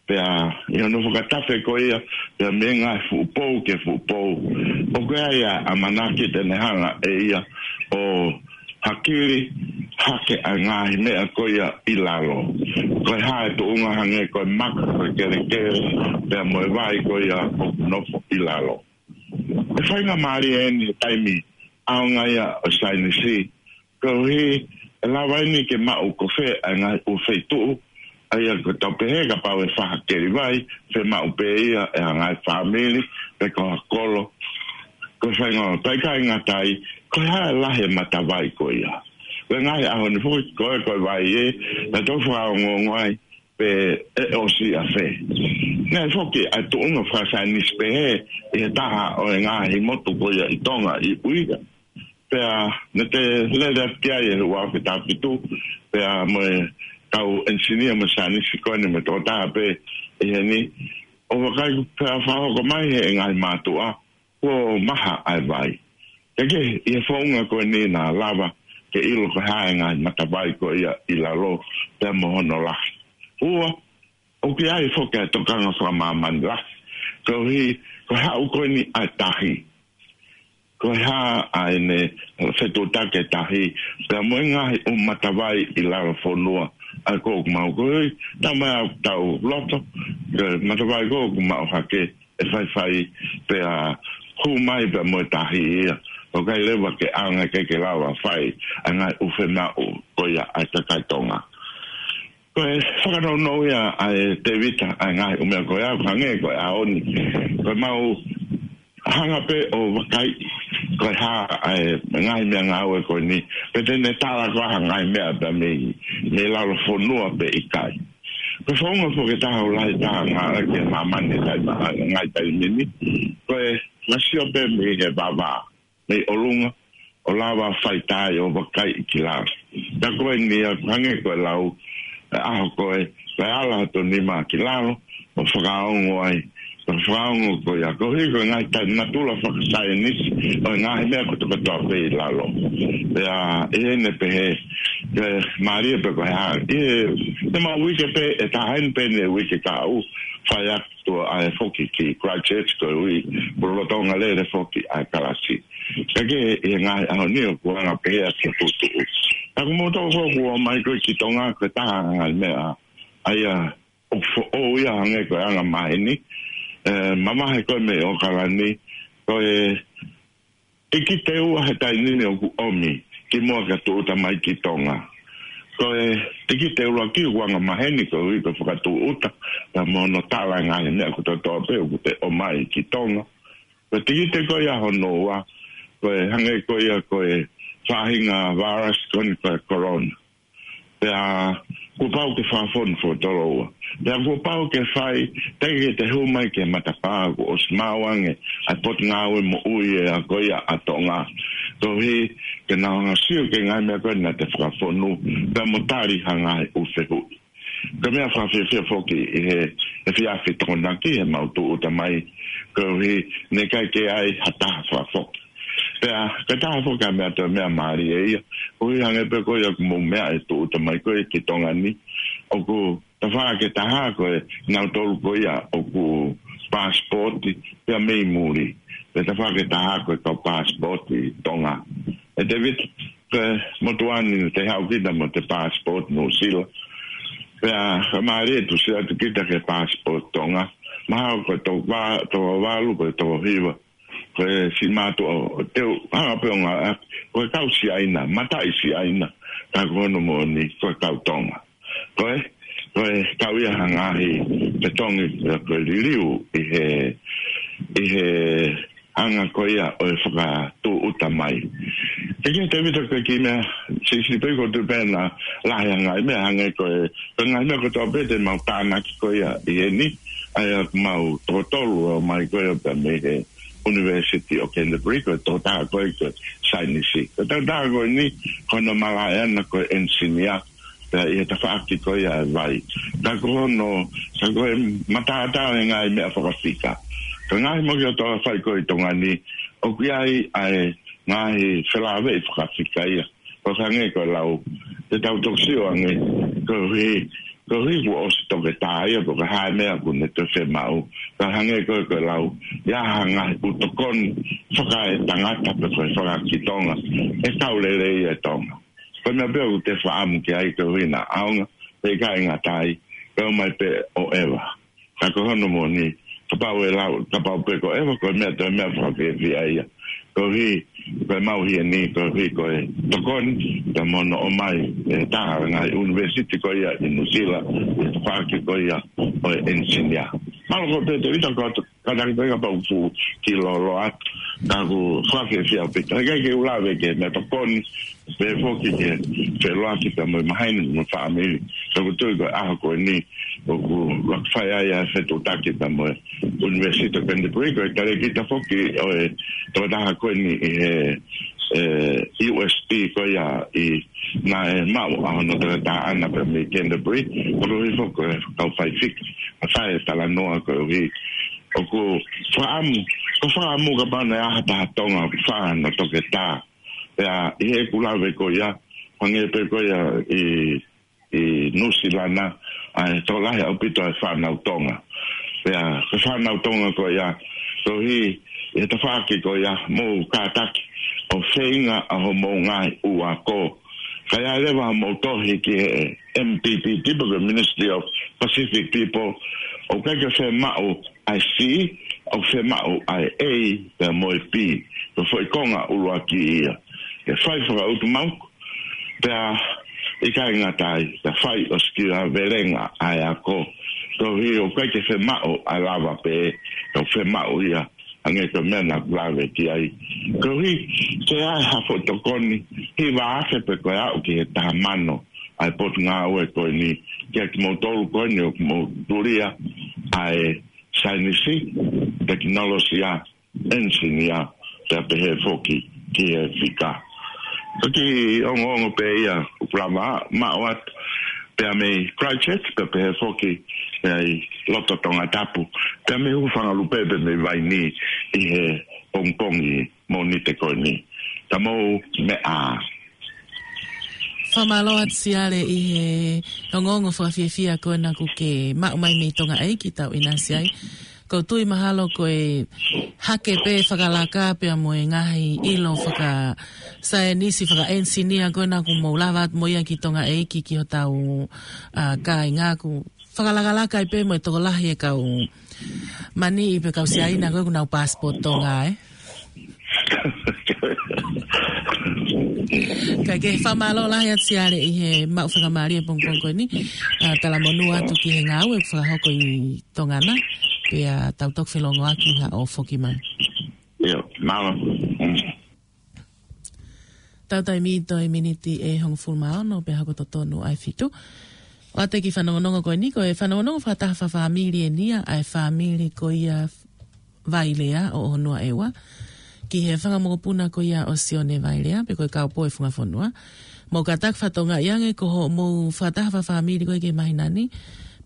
Pea ʻi hono fakatafe ko ia, pea mei he ngaahi fuʻu pou ki he fuʻu pou, ʻoku ʻi ai ʻa e ʻamanaki te ne hanga ʻe ia ʻo hakili hake ʻa e ngaahi meʻa ko ia ʻi lalo. Ko e hā e tuʻunga hangē ko e maka, ko e kelekele, pea mo e vai ko ia ʻoku nofo ʻi lalo. ʻE faingamālie eni he taimi ʻaonga ia ʻo e saienisi, koeʻuhi ʻe lava eni ke maʻu ko fē ʻa e ngaahi ʻū feituʻu, ʻa ia ko e tau pehē kapau ʻe fai ha keli vai, fiemaʻu pē ia ʻe he ngaahi fāmili, pe ko ha kolo. Ko e faingamālie, pea ʻikai ngata ai, ko e hā e lahi e matavai ko ia. Ko e ngaahi ʻaho ni foki ko e, ko e vai ē, naʻa tau fakaongoongo ai, pe ʻe ʻosi ʻafē. Naʻe foki ʻa e tuʻunga fakasaienisi pehē ʻi he taha ʻo e ngaahi motu ko ia ʻi Tonga ʻi ʻUiga. Pea naʻa te lele atu ki ai ʻi he ua afe taha fitu, pea mo e kau engineer mo e saienisi ko eni mo e tokotaha pē ʻi heni. ʻO vakai pea fakahoko mai ʻe he ngaahi mātuʻa, kuo maha ʻa e vai. Kae kehe, ʻi he founga ko eni naʻa lava ke ʻilo ko e hā e ngaahi matavai ko ia ʻi lalo pea mo hono lahi. Ua, ʻoku ʻi ai foki ʻa e tokanga fakamāmani lahi, koeʻuhi ko e haʻu ko eni ʻa e tahi. Ko e hā ʻa ʻene fetuʻutaki e tahi, pea mo e ngaahi ʻū matavai ʻi lalo fonua, ʻa ia ko ʻoku mau koeʻuhi, tau mai ʻa ʻetau loto, ko e matavai ko ʻoku mau hake, ʻe faifai pea hū mai pea mo e tahi ia. ʻOku ʻikai leva ke ʻaonga ke ke lava fai ʻa e ngaahi ʻū fiemaʻu ko ia ʻa e kakai Tonga. Ko e fakanounou ia ʻa e Tevita ʻa e ngaahi ʻū meʻa ko ia, ʻoku hangē ko e ʻaho ni. Ko e mau hanga pē ʻo vakai ko e hā ʻa e ngaahi meʻangāue ko eni. Pe te ne tala ko ha ngaahi meʻa pea mei, mei lalo fonua pe ʻikai. Ko e founga foki ʻe taha ʻoku lahi taha ngāueʻaki ʻe māmani ʻi he taimi, ngaahi taimi ni. Ko e ngaahi sio pē mei he vavā, mei ʻolunga, ʻo lava fai tai ʻo vakai ki lalo. Ka ko eni ia, hangē ko e lau, ʻe ʻaho ko e, ko e ala hoto nima ki lalo, ʻo fakaongo ai, ʻo fakaongo ko ia. Koeʻuhi ko e ngaahi tai natula fakasaienisi, ʻo e ngaahi meʻa kotokotoa pē ʻi lalo. Pea, ʻi heʻene pehē, ke mālie pē ko e hā. ʻI he, te mau uike pē, ʻe taha eni pē ʻene uike kahaʻu, fai atu ʻa e foki ki Christchurch koeʻuhi, pulolotonga lele foki ʻa e kalasi. Kae kehe ʻi he ngaahi ʻaho ni ʻoku anga pehē ʻa e tuʻutuʻu. Ka ko e motu ko ʻoku ō mai ko ē ki Tonga ko e taha ngaahi meʻa, ʻa ia ʻoku foʻou ia hangē ko e anga maheni, ʻe, mamahi ko ē mei ʻAokalani, ko e tikite ua he taimi ni ʻoku ʻomi kimuʻa ke tūʻuta mai ki Tonga. Ko e tikite ʻuluaki ʻoku anga maheni koeʻuhi ko e fakatūʻuta, pea mo hono tala e ngaahi meʻa kotokotoa pē ʻoku te ʻomai ki Tonga. Ko e tikite ko ia hono ua, ko e hangē ko ia ko e faʻahinga virus ko eni ko e corona. Pea kuo pau ke fakafonu fakatotolo ua. Pea kuo pau ke fai, teʻeki ke te hū mai ki he matapā kuo ʻosi maʻu ange ʻa e Potungāue Moʻui ʻa ko ia ʻa Tonga. Koeʻuhi ke nau hanga sio ki he ngaahi meʻa ko ē naʻa te fakafonu, pea mo tali ha ngaahi ʻū fehuʻi. Ko e meʻa fakafiefia foki ʻi he, he efiafi Tokonaki he mau tūʻuta mai, koeʻuhi naʻe ʻikai ke ʻi ai ha taha fakafoki. Pea, ko e taha foki ʻa e meʻa toe meʻa mālie ia, koeʻuhi hangē pē ko ia ʻoku mou meaʻi e tūʻuta mai ko ē ki Tonga ni, ʻoku tafaʻaki ʻe taha ko e nautolu ko ia ʻoku passport ia mei muli. Pea tafaʻaki ʻe taha ko e kau passport ʻi Tonga. ʻE Tevita, ko e motuʻa ni te haʻu kita mo e passport Nuʻusila. Pea ka mālie ʻe tuʻusi atu kita ki he passport Tonga. Mahalo ko e toko va-, toko valu, ko e toko hiva. Ko e siʻi mātuʻa ʻo teu, hanga pē ʻo ngāueʻaki, ko e kau Siaina, mataʻi Siaina, ka ko hono moʻoni, ko e kau Tonga. Ko e, ko e kau ia ha ngaahi fetongi, ko e liliu ʻi he, ʻi he anga ko ia ʻo e fakatūʻuta mai. Ke ke Tevita ko e kiʻi meʻa, siʻisiʻi pē ko tu pē na lahi ha ngaahi meʻa hangē ko e, ko e ngaahi meʻa ko tō pē te mau tānaki ko ia ʻi heni, ʻa ia mau toko tolu ʻo mai ko ia pea mei he University of Canterbury, ko e tokotaha ko ē ko e saienisi. Ko e tokotaha ko eni, ko hono malaʻe ʻana ko e engineer, pea ʻi he tafaʻaki ko ia ʻa e vai. Ka ko hono, ka ko e matātā ʻo e ngaahi meʻa fakafika. Ka ngaahi moki ʻo tō fai ko ē ʻi Tonga ni, ʻoku ʻi ai ʻa e ngaahi felāveʻi fakafika ia. Ko e hangē ko e lau, te tau toki sio ange, koeʻuhi, koeʻuhi kuo ʻosi toketā ia, ko e hā e meʻa ʻoku ne toe fiemaʻu. Ka hangē ko e, ko e lau, ʻi ai ha ngaahi ʻū tokoni fakaetangata pe ko e fakakitonga, ʻe kau lelei ʻa e Tonga. Ko e meʻa pē ʻoku te fakaʻamu ki ai koeʻuhi naʻa ʻaonga, pe ʻikai ngata ai, pea ʻomai pē ʻo ʻeva. Ka ko hono moʻoni, kapau ʻe lau, kapau pē ko e ʻeva, ko e meʻa toe meʻa fakafiefia ia. Koeʻuhi, ko e mau hia ni, koeʻuhi ko e tokoni, ka mo hono ʻomai ʻe taha ngaahi university ko ia ʻi Nuʻusila, ʻi he tafaʻaki ko ia ʻo e engineer. Mālō ko Pete, ita ko atu, ka taki pē kapau fu ki lolo atu, ka ʻoku fakafiefia pē. Ka ke ke u lave ki he meʻa tokoni, pea foki ki he feʻiloaki pea mo e maheni mo e fāmili. Ka ʻoku tui ko e ʻaho ko eni, ʻoku fai ai ʻa e fetuʻutaki pea mo e University of Canterbury, ko e talēkita foki ʻo e tokotaha ko eni ʻi he, e, U S P ko ia ʻi naʻe maʻu ʻa hono toketā ʻana pea mei Canterbury, koeʻuhi foki ko e kau faifika, ʻa e fai e talanoa koeʻuhi. ʻOku fakaʻamu, ko e fakaʻamu kapau naʻe ʻi ai ha taha Tonga ʻoku fai hano toketā. Pea ʻi heʻeku lave ko ia, hangē pē ko ia ʻi, ʻi Nuʻusila na, ʻa e tokolahi ʻaupito ʻa e fānau Tonga. Pea ko e fānau Tonga ko ia, koeʻuhi ʻi he tafaʻaki ko ia, mou kātaki ʻo feinga ʻa hoʻomou ngaahi ʻū ako. Ka ʻi ai leva hoʻomou tohi ki he M P P T pe ko e Ministry of Pacific People, ʻoku ʻikai ke fiemaʻu ʻa e C, ʻoku fiemaʻu ʻa e A pea mo e B, ko e foʻi konga ʻuluaki ia. Ke fai fakautumauku, pea ʻikai ngata ai, ke fai ʻo sikiu ʻa e velenga ʻa e ako. Koeʻuhi ʻoku ʻikai ke fiemaʻu ʻa e lava pē, ka ʻoku fiemaʻu ia, hangē ko e meʻa naʻa ku lave ki ai. Koeʻuhi, ke ʻi ai ha foʻi tokoni, hiva afe pe ko e aʻu ki he taha mano, ʻa e potungāue ko eni, kiate kimoutolu ko eni ʻoku mou tulia ʻa e saienisi, tekinolosia, engineer, pea pehē foki ki he fika. Ko e kiʻi ongoongo pē ia, ʻoku lava maʻu atu, pea mei Christchurch, pea pehē foki, pea ʻi loto Tongatapu, pea mei Hūfangalupe, pea mei Vainī, ʻi he pongipongi Mōnite ko eni. Ka mou meʻa ā. Fakamālō atu Siale ʻi he ongoongo fakafiefia ko ena kuo ke maʻu mai mei Tonga ʻEiki tau ʻinasi ai. ʻOku ou tui mahalo ko e hake pē fakalaka pea mo e ngaahi ʻilo fakasaienisi, fakaenisinia ko ena kuo mou lava atu mo ia ki Tonga ʻEiki ki hotau, ʻa, kāinga ʻoku fakalakalaka ai pē mo e tokolahi e kau mani ʻi he kau Siaina ko ē ʻoku nau passport Tonga, ē? Ka ke fakamālō lahi atu Siale ʻi he maʻu fakamālie pongipongi ko eni. ʻA, talamonū atu ki he ngāue ʻoku fakahoko ʻi Tonga na. Pea tau toki felongoaki ha ʻo foki mai. ʻIo, mālō. Mm. Tau taimi toe miniti ʻe hongofulu mā ono pea hoko totonu ʻa e fitu. ʻOatu e kiʻi fanongonongo ko eni, ko e fanongonongo fakataha fakafāmili eni ia ʻa e fāmili ko ia Vailea ʻo ʻOhonuaʻeua ki he fanga mokopuna ko ia ʻo Sione Vailea pe ko e kaupō ʻi Fungafonua. Mou kātaki fakatokangaʻi ange ko hoʻomou fakataha fakafāmili ko ē ki he māhina ni,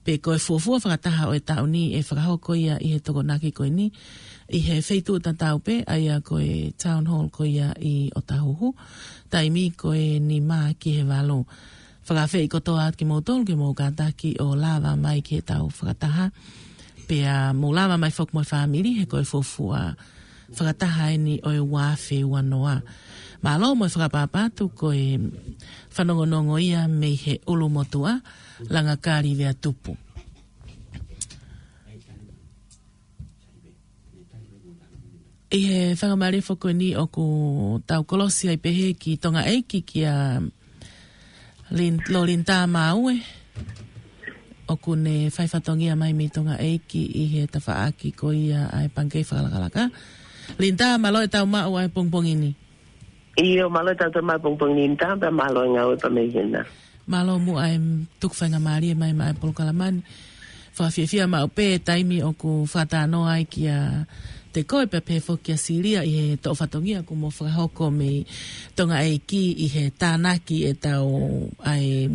pe ko e fuofua fakataha ʻo e taʻu ni ʻe fakahoko ia ʻi he Tokonaki ko eni, ʻi he feituʻu tatau pē, ʻa ia ko e Town Hall ko ia ʻi ʻŌtāhuhu, taimi ko e nima ki he valu. Fakaafeʻi kotoa atu kimoutolu ke mou kātaki ʻo lava mai ki heʻetau fakataha. Pea mou lava mai foki mo e fāmili he ko e fuofua fakataha eni ʻo e ua afe ua noa. Mālō mo e fakapapau atu ko e fanongonongo ia mei he ʻulumotuʻa, Langakali Veatupu. ʻI he faingamālie foki ko eni ʻoku tau kolosi ai pehē ki Tonga ʻEiki kia Lin-, Lolinita Maue. ʻOku ne fai fatongia mai mei Tonga ʻEiki ʻi he tafaʻaki ko ia ʻa e pangikē fakalakalaka. Linita, mālō e tau maʻu ʻa e pongipongi ni. ʻIo, mālō e tau maʻu pongipongi ni Linita, pea mālō e ngāue pea mei hena. Mālō muʻa e tuku faingamālie mai maʻa e polokalama ni. Fakafiefia maʻu pē taimi ʻoku fakatalanoa ai kiate koe pea pehē foki kia Silia ʻi he toʻo fatongia kuo mou fakahoko mei Tonga ʻEiki ʻi he tānaki ʻetau ʻa e,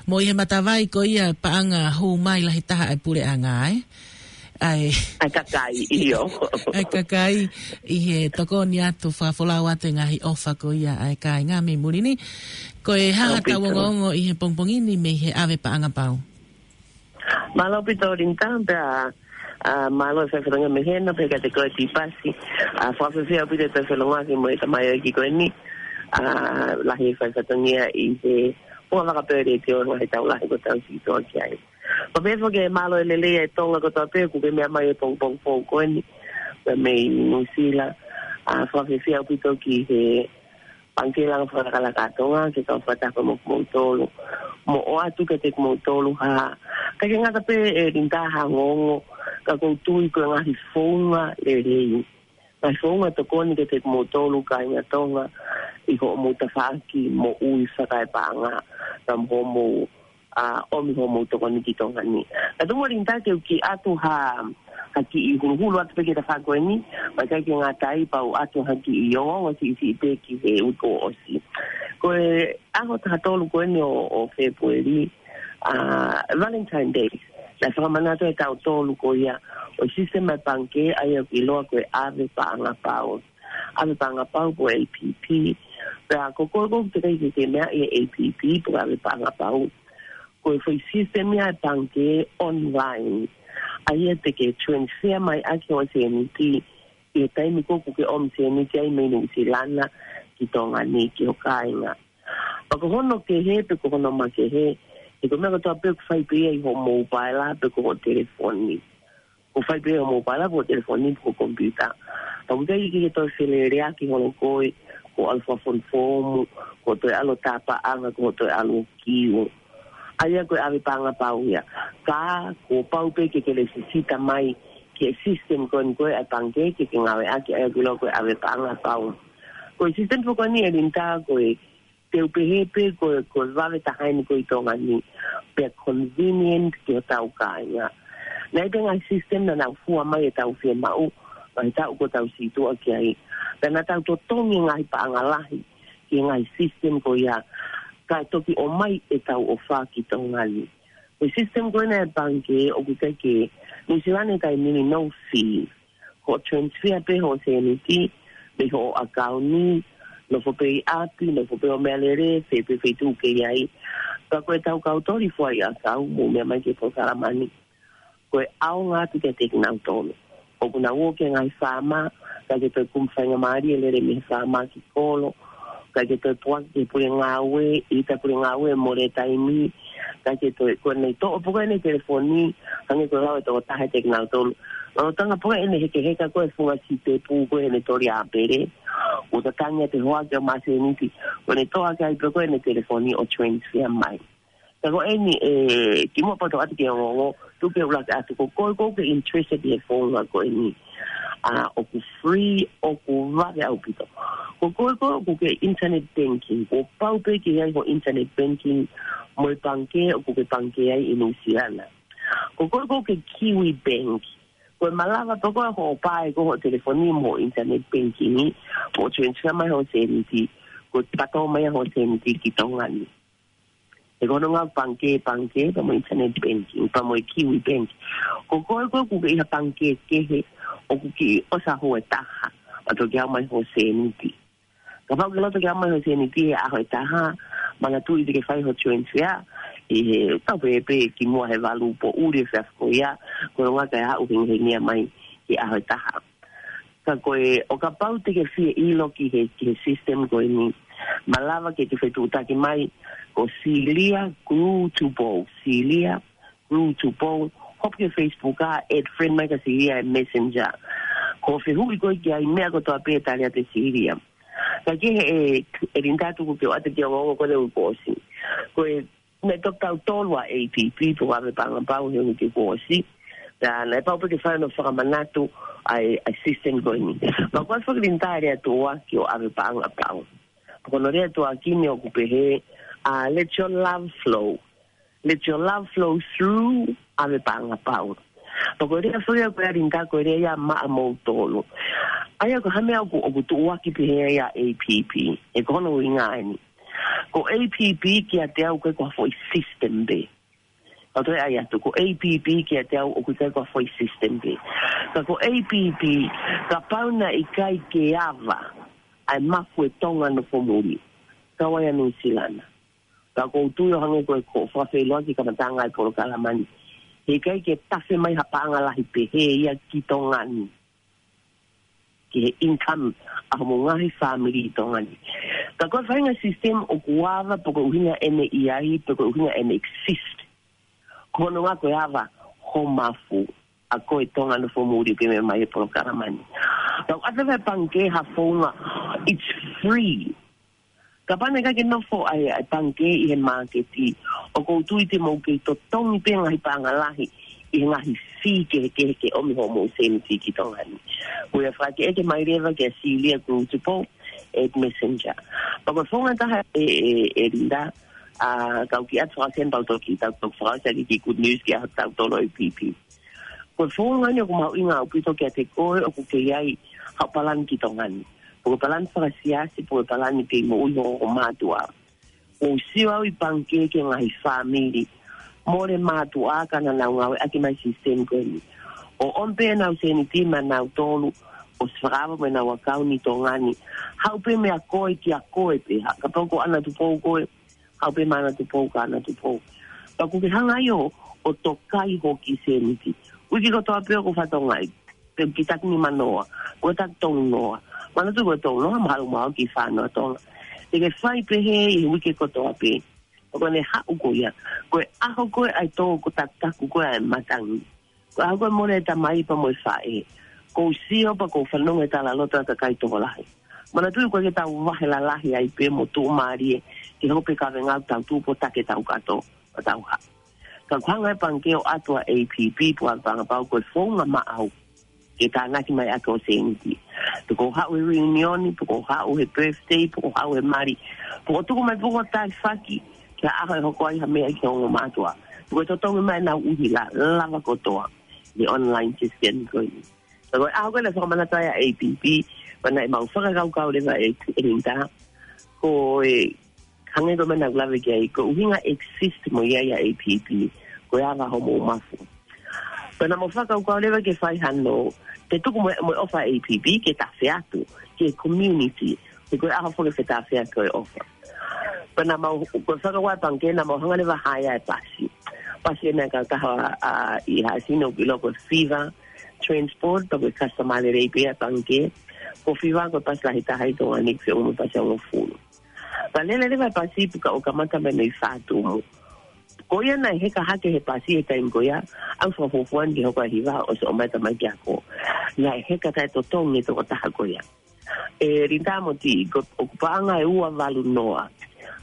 mo ʻi he matavai ko ia paʻanga hū mai lahi taha ʻa e puleʻanga, ē? ʻA e ʻa e kakai, ʻio. ʻA e kakai ʻi he tokoni atu, fakafolau atu e ngaahi ʻofa ko ia ʻa e kāinga mei muli ni. Ko e hā haʻatau ongoongo ʻi he pongipongi ni mei he ʻave paʻanga pau? Mālō ʻaupito Linita, pea, ʻa, mālō e fai fatongia mei hena, pea kiate koe Tipasi. ʻA, fakafiefia ʻaupito e fai fatongia ki mo e tamaioʻeiki ko eni. ʻA, lahi e fai fatongia ʻi he pongipongi pē ʻo e letiō, he tau lahi kuo tau sītuʻa ki ai. Pea pehē foki e mālō e lelei ʻa e Tonga kotoa pē kuo ke meʻa mai he pongipongi foʻou ko eni. Pea mei Nuʻusila, ʻa, fakafiefia ʻaupito ki he Pangikē Langa Fakalakalaka ʻa Tonga, ke kau fakataha mo kimoutolu. Mo ʻoatu kiate kimoutolu ha, ʻikai ke ngata pē ʻe Linita ha ongoongo, ka ʻoku ou tui ko e ngaahi founga lelei. Ngaahi founga tokoni kiate kimoutolu kāinga Tonga, ʻi hoʻomou tafaʻaki moʻui fakaepaʻanga, pea mo hoʻomou ʻa, ʻomi hoʻomou tokoni ki Tonga ni. Ka tuku muʻa Linita ke u kiʻi ʻatu ha, ha kiʻi huluhulu atu pē ki he tafaʻaki ko eni, pea ʻikai ke ngata ai pea u ʻatu ha kiʻi ongoongo siʻisiʻi pē ki he uike kuo ʻosi. Ko e ʻaho taha tolu ko eni ʻo, ʻo Fēpueli, ʻa, Valentine Day. Naʻe fakamanatu ʻe tautolu ko ia ʻo e sisitemi ʻa e pangikē ʻa ia ʻoku ʻiloa ko e ʻave paʻanga pau. ʻAve paʻanga pau pe ko e A P P. Pea ko koe ʻoku teʻeki ke ke meaʻi e A P P pe ko e ʻave paʻanga pau, ko e foʻi sisitemi ia ʻa e pangikē online. ʻA ia te ke transfer mai ʻaki hoʻo sēniti ʻi he taimi ko ē ʻoku ke ʻomi sēniti ai mei Nuʻusila ki Tonga ni ki ho kāinga. Pea ko hono kehe pe ko hono makehe, he ko e meʻa kotoa pē ʻoku fai pē ia ʻi hoʻo mobile pe ko hoʻo telefoni. ʻOku fai pē ia ʻi hoʻo mobile pe ko hoʻo telefoni pe ko hoʻo computer. Pea ʻoku ʻikai ke ke toe feleleʻaki holo koe, ko hoʻo ʻalu fakafonu foomu, ko hoʻo toe ʻalu ʻo tā paʻanga, ko hoʻo toe ʻalu ʻo kiu. ʻA ia ko e ʻave paʻanga pau ia. Ka kuo pau pē ke ke lēsisita mai ki he sisitemi ko eni ko ē ʻa e pangikē ke ke ngāueʻaki, ʻa ia ʻoku ʻiloa ko e ʻave paʻanga pau. Ko e sisitemi foki ko eni ʻe Linita ko e, te u pehē pē ko e, ko e vave taha eni ko ē ʻi Tonga ni, pea convenient ki hotau kāinga. Naʻe ʻi ai pē ngaahi sisitemi naʻa nau fua mai ʻetau fiemaʻu, ʻi he taʻu kuo tau sītuʻa ki ai. Pea naʻa tau totongi e ngaahi paʻanga lahi ki he ngaahi sisitemi ko ia, kae toki ʻomai ʻetau ʻofa ki Tonga ni. Ko e sisitemi ko ena ʻa e pangikē ʻoku ʻikai ke, Nuʻusila ni ʻi he taimi ni no fee. Ko hoʻo transfer pē hoʻo sēniti mei hoʻo ʻakauni, nofo pē ʻi ʻapi, nofo pē ʻo meʻalele, fē pē feituʻu ʻoku ke ʻi ai. Ka ko ʻetau kau toli fua ʻi ʻakau, mou meʻa mai ki he polokalama ni, ko e ʻaonga atu kiate kinautolu. ʻOku nau ō ki he ngaahi faama, ʻikai ke toe kumi faingamālie lele mei he faama ki kolo, ʻikai ke toe puaki ki he pule ngāue, ʻita pule ngāue mole taimi, ʻikai ke toe, ko ʻene toʻo pē ko ē ʻene telefoni, hangē ko e lau ʻe he tokotaha kiate kinautolu. Lolotonga pē ko ē ʻene hekeheka ko ē he funga sitepu ko ē heʻene toli ʻāpele, ʻo tatangi ʻa e hoa ke ʻomai sēniti, ko ʻene toʻo hake ai pē ko ē ʻene telefoni ʻo transfer mai. Ka ko eni ʻe kimuʻa pea u toʻo atu ki he ongoongo, tuku ke u ʻuluaki ʻatu, ko koe ʻoku ke interested ʻi he founga ko eni. ʻA, ʻoku free, ʻoku vave ʻaupito. Ko koe ʻoku ke internet banking, kuo pau pē ke ʻi ai hoʻo internet banking mo e pangikē ʻoku ke pangikē ai ʻi Nuʻusila na. Ko koe ʻoku ke Kiwi Bank, ko e malava pē ko ē hoʻo pae ko ē hoʻo telefoni mo hoʻo internet banking, ʻo transfer mai hoʻo sēniti, ko e pato mai hoʻo sēniti ki Tonga ni. He ko hono ʻuhinga pangikē, pangikē, pea mo e internet banking, pea mo e Kiwi Bank. Ko koe ʻoku ke ʻi ha pangikē kehe, ʻoku kiʻi ʻosi hoʻo taha, ʻo toki haʻu mai hoʻo sēniti. Kapau ʻoku ke loto ke haʻu mai hoʻo sēniti he ʻaho ʻe taha, Manatuʻi te ke fai ho transfer ʻi he, tau pehē pē kimuʻa he valu poʻuli e efiafi ko ia, ko e ʻuhinga ke aʻu hengihengia mai ki he ʻaho ʻe taha. Ka ko e, ʻo kapau te ke fie ʻilo ki he, ki he system ko eni, malava ke ke fetuʻutaki mai ko Celia Grew to Bow, Celia Grew to Bow, hopo ki he Facebook ʻa, add friend mai kia Celia he Messenger. Ko e fehuʻi ko ē ki ai, meʻa kotoa pē ʻe tali atu ʻe Celia. Ka ke he, ʻe, ʻe Linda, tuku ke u ʻoatu ki he ongoongo ko eni ʻoku ʻosi. Ko e, naʻe toki taʻu tolu ʻa APP pe ko e ʻAve Paʻanga Pau he uike kuo ʻosi. Pea naʻe pau pē ke fai hono fakamanatu ʻa e, ʻa e system ko eni. Pea ko e fakalinta e lea tuʻuaki ʻo ʻAve Paʻanga Pau. Pea ko hono lea tuʻuaki ni ʻoku pehē, uh, let your love flow. Let your love flow through ʻAve Paʻanga Pau. Pea ko e lea foʻi ia ko ē ʻa Linda ko e lea ia maʻa moutolu. ʻA ia ko e hā e meʻa ʻoku, ʻoku tuʻuaki pehē ai ʻa APP. He ko hono ʻuhinga eni. Ko APP kiate au ʻoku ʻikai ko ha foʻi system pē. Ka toe ʻai atu, ko APP kiate au ʻoku ʻikai ko ha foʻi system pē. Ka ko APP, kapau naʻe ʻikai ke ava ʻa e mafu ʻe Tonga nofo muli, kau ai ʻa Nuʻusila na. Ka ʻoku ou tui ʻo hangē ko e, ko e fakafeʻiloaki kamataʻanga e polokalama ni, heʻikai ke tafe mai ha paʻanga lahi pehē ia ki Tonga ni, ki he income ʻa hoʻomou ngaahi fāmili ʻi Tonga ni. Ka ko e faʻahinga system ʻoku ava pe ko e ʻuhinga ʻene ʻi ai, pe ko e ʻuhinga ʻene exist, ko hono ʻuhinga ko e ava ho mafu ʻa koe Tonga nofo muli ʻoku ke meʻa mai he polokalama ni. Pea ʻoku ʻoatu ʻe he pangikē ha founga, it's free. Kapau naʻe ʻikai ke nofo ʻa e, ʻa e pangikē ʻi he māketi, ʻoku ou tui te mou kei totongi pē ngaahi paʻanga lahi ʻi he ngaahi fee kehekehe ke ʻomi hoʻomou sēniti ki Tonga ni. Ko ia fakaʻekeʻeke mai leva kia Celia Grew to Bow, add Messenger. Pea ko e founga ʻe taha ʻe, ʻe, ʻe Linda, ʻa, kau kiʻi ʻoatu fakasema pea u toki, tau, tau fakaʻosi ʻaki e kiʻi good news ki he ʻaho taʻu tolu ʻo APP. Ko e founga ni ʻoku mahuʻinga ʻaupito kiate koe ʻoku kei ʻi ai haʻo palani ki Tonga ni. Pe ko e palani fakasiasi, pe ko e palani kei moʻui ho, ho mātuʻa. ʻOku ou sio au ʻi pangikē ki he ngaahi fāmili mole mātuʻa ka naʻa nau ngāueʻaki mai e system ko eni. ʻO ʻomi pē ʻenau sēniti maʻanautolu, ʻosi fakaava mo ʻenau ʻakauni ʻi Tonga ni. Haʻu pē meia koe kia koe pē, ha, kapau ko ʻAna Tupou koe, haʻu pē maʻa ʻAna Tupou kia ʻAna Tupou. Pea ʻoku ke hanga ai ʻo, ʻo tokai hoʻo kiʻi sēniti. Uike kotoa pē ʻoku ou fakatokangaʻi, pe ʻoku ke taki nima noa, ʻoku ke taki tolu noa. Manatuʻi ko e tolu noa, mahalo ʻoku maʻu ki he fā noa Tonga. Te ke fai pehē ʻi he uike kotoa pē. Pea ko ʻene haʻu ko ia, ko e ʻaho ko ē ʻa e tō ko e takutaku ko ē ʻa e matangi. Ko e ʻaho ko ē mole e tamai pea mo e faʻē. ʻOku ou sio pea ʻoku ou fanongo he talaloto ʻa e kakai tokolahi. Manatuʻi ʻoku ʻikai ke tau vahe lalahi ai pē mo tuʻumālie ke hoko pē kavenga ʻo tau tupu ʻo taki ʻetau kato ʻo tau haʻu. Ka ʻoku hanga ʻe he pangikē ʻo ʻoatu ʻa APP pe ko e ʻAve Paʻanga Pau ko e founga maʻau ke tānaki mai ʻaki hoʻo sēniti. Pe ko hoʻo haʻu he reunion, pe ko hoʻo haʻu he birthday, pe ko hoʻo haʻu he mali, pe ko hoʻo tuku mai pe ko hoʻo taifaki ki ha ʻaho ʻe hoko ai ha meʻa ki he ongo mātuʻa. Pe ko e totongi mai ʻenau ʻuhila, lava kotoa ʻi he online system ko eni. Ka ko e ʻaho ko ē naʻe fakamanatu ai ʻa APP, pea naʻe mau fakakaukau leva ʻe, ʻe Linda, ko e hangē ko e meʻa naʻa ku lave ki ai, ko e ʻuhinga exist mo ia ʻa e APP, ko e ava hoʻomou mafu. Pea naʻa mau fakakaukau leva ke fai hano, ke tuku mo, mo e ʻofa ʻa e APP ke tafe atu ki he community, he ko e ʻaho foki e fetafe ʻaki ʻo e ʻofa. Pea naʻa mau, ko e fakakaukau ʻa e pangikē, naʻa mau hanga leva ʻo haea e pasi. Pasi ʻe meʻa kautaha, ʻa, ʻi Haʻasini ʻoku ʻiloa ko e Fiva Transport, pea ko e customer lelei pē ia ʻa e pangikē. Ko e Fiva ko e pasi lahi taha ʻi Tonga ni, ʻoku feʻunga mo e pasi ʻe hongofulu. Pea lele leva e pasi pea ʻo kamata mai mei Fatumu. Ko ia naʻe heka hake he pasi he taimi ko ia, ʻa e fakafuofua ni ke hoko ʻa e hiva ʻosi ʻomai e tamaiki ako. Naʻe heka taʻetotongi e tokotaha ko ia. ʻE Linda Moti, ko, ʻoku paʻanga ʻe ua valu noa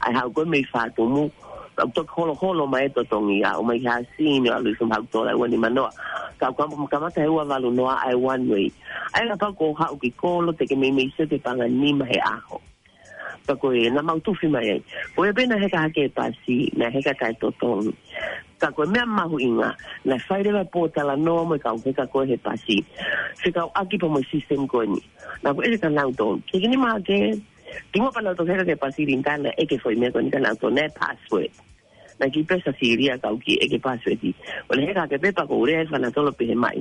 ʻa e haʻu ko ē mei Fatumu, ʻoku toki holoholo mai e totongi ia, ʻomai ki Haʻasini, ʻalu ʻo ʻosi haʻu tola ʻe ua nima noa. Ka ʻoku kamata he ua valu noa ʻa e one way. ʻA ia kapau ʻoku ke haʻu ki kolo, te ke meimei sio ki he paʻanga ʻe nima he ʻaho. Pea ko e naʻa mau tufi mai ai. Ko ia pē naʻe heka hake e pasi, naʻe heka taʻetotongi. Ka ko e meʻa mahuʻinga, naʻe fai leva e pōtalanoa mo e kau heka ko ē he pasi fekauʻaki pea mo e system ko eni. Naʻa ku ʻeke kia nautolu, ke ke nima hake, kimuʻa pea nau toki heka hake e pasi, Linda, naʻe ʻeke e foʻi meʻa ko eni kia nautolu, naʻe password. Naʻe kiʻi pē ʻa Silia, kau kiʻi ʻeke e password. ʻO ne heka hake pē pea ʻoku ou lea ʻe fana tolo pehē mai,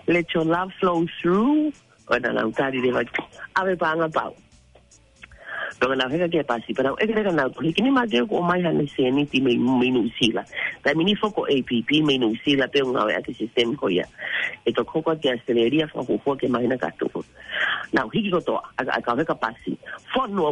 "Let your love flow through." ʻO naʻa nau tali leva, "ʻAve Paʻanga Pau." Pea naʻa nau heka ki he pasi, pea naʻa nau ʻeke leva naʻa nau tohi, ʻikai ke ʻomai haʻane sēniti mei, mei Nuʻusila. Taimi ni foki ko e A P P mei Nuʻusila pē ʻoku ngāueʻaki e sisitemi ko ia. ʻE toki hoko ki ʻAositelēlia fakafuofua ki he māhina kahaʻu. Naʻa nau hiki kotoa, ʻa e, ʻa e kau heka pasi. Fonu ʻo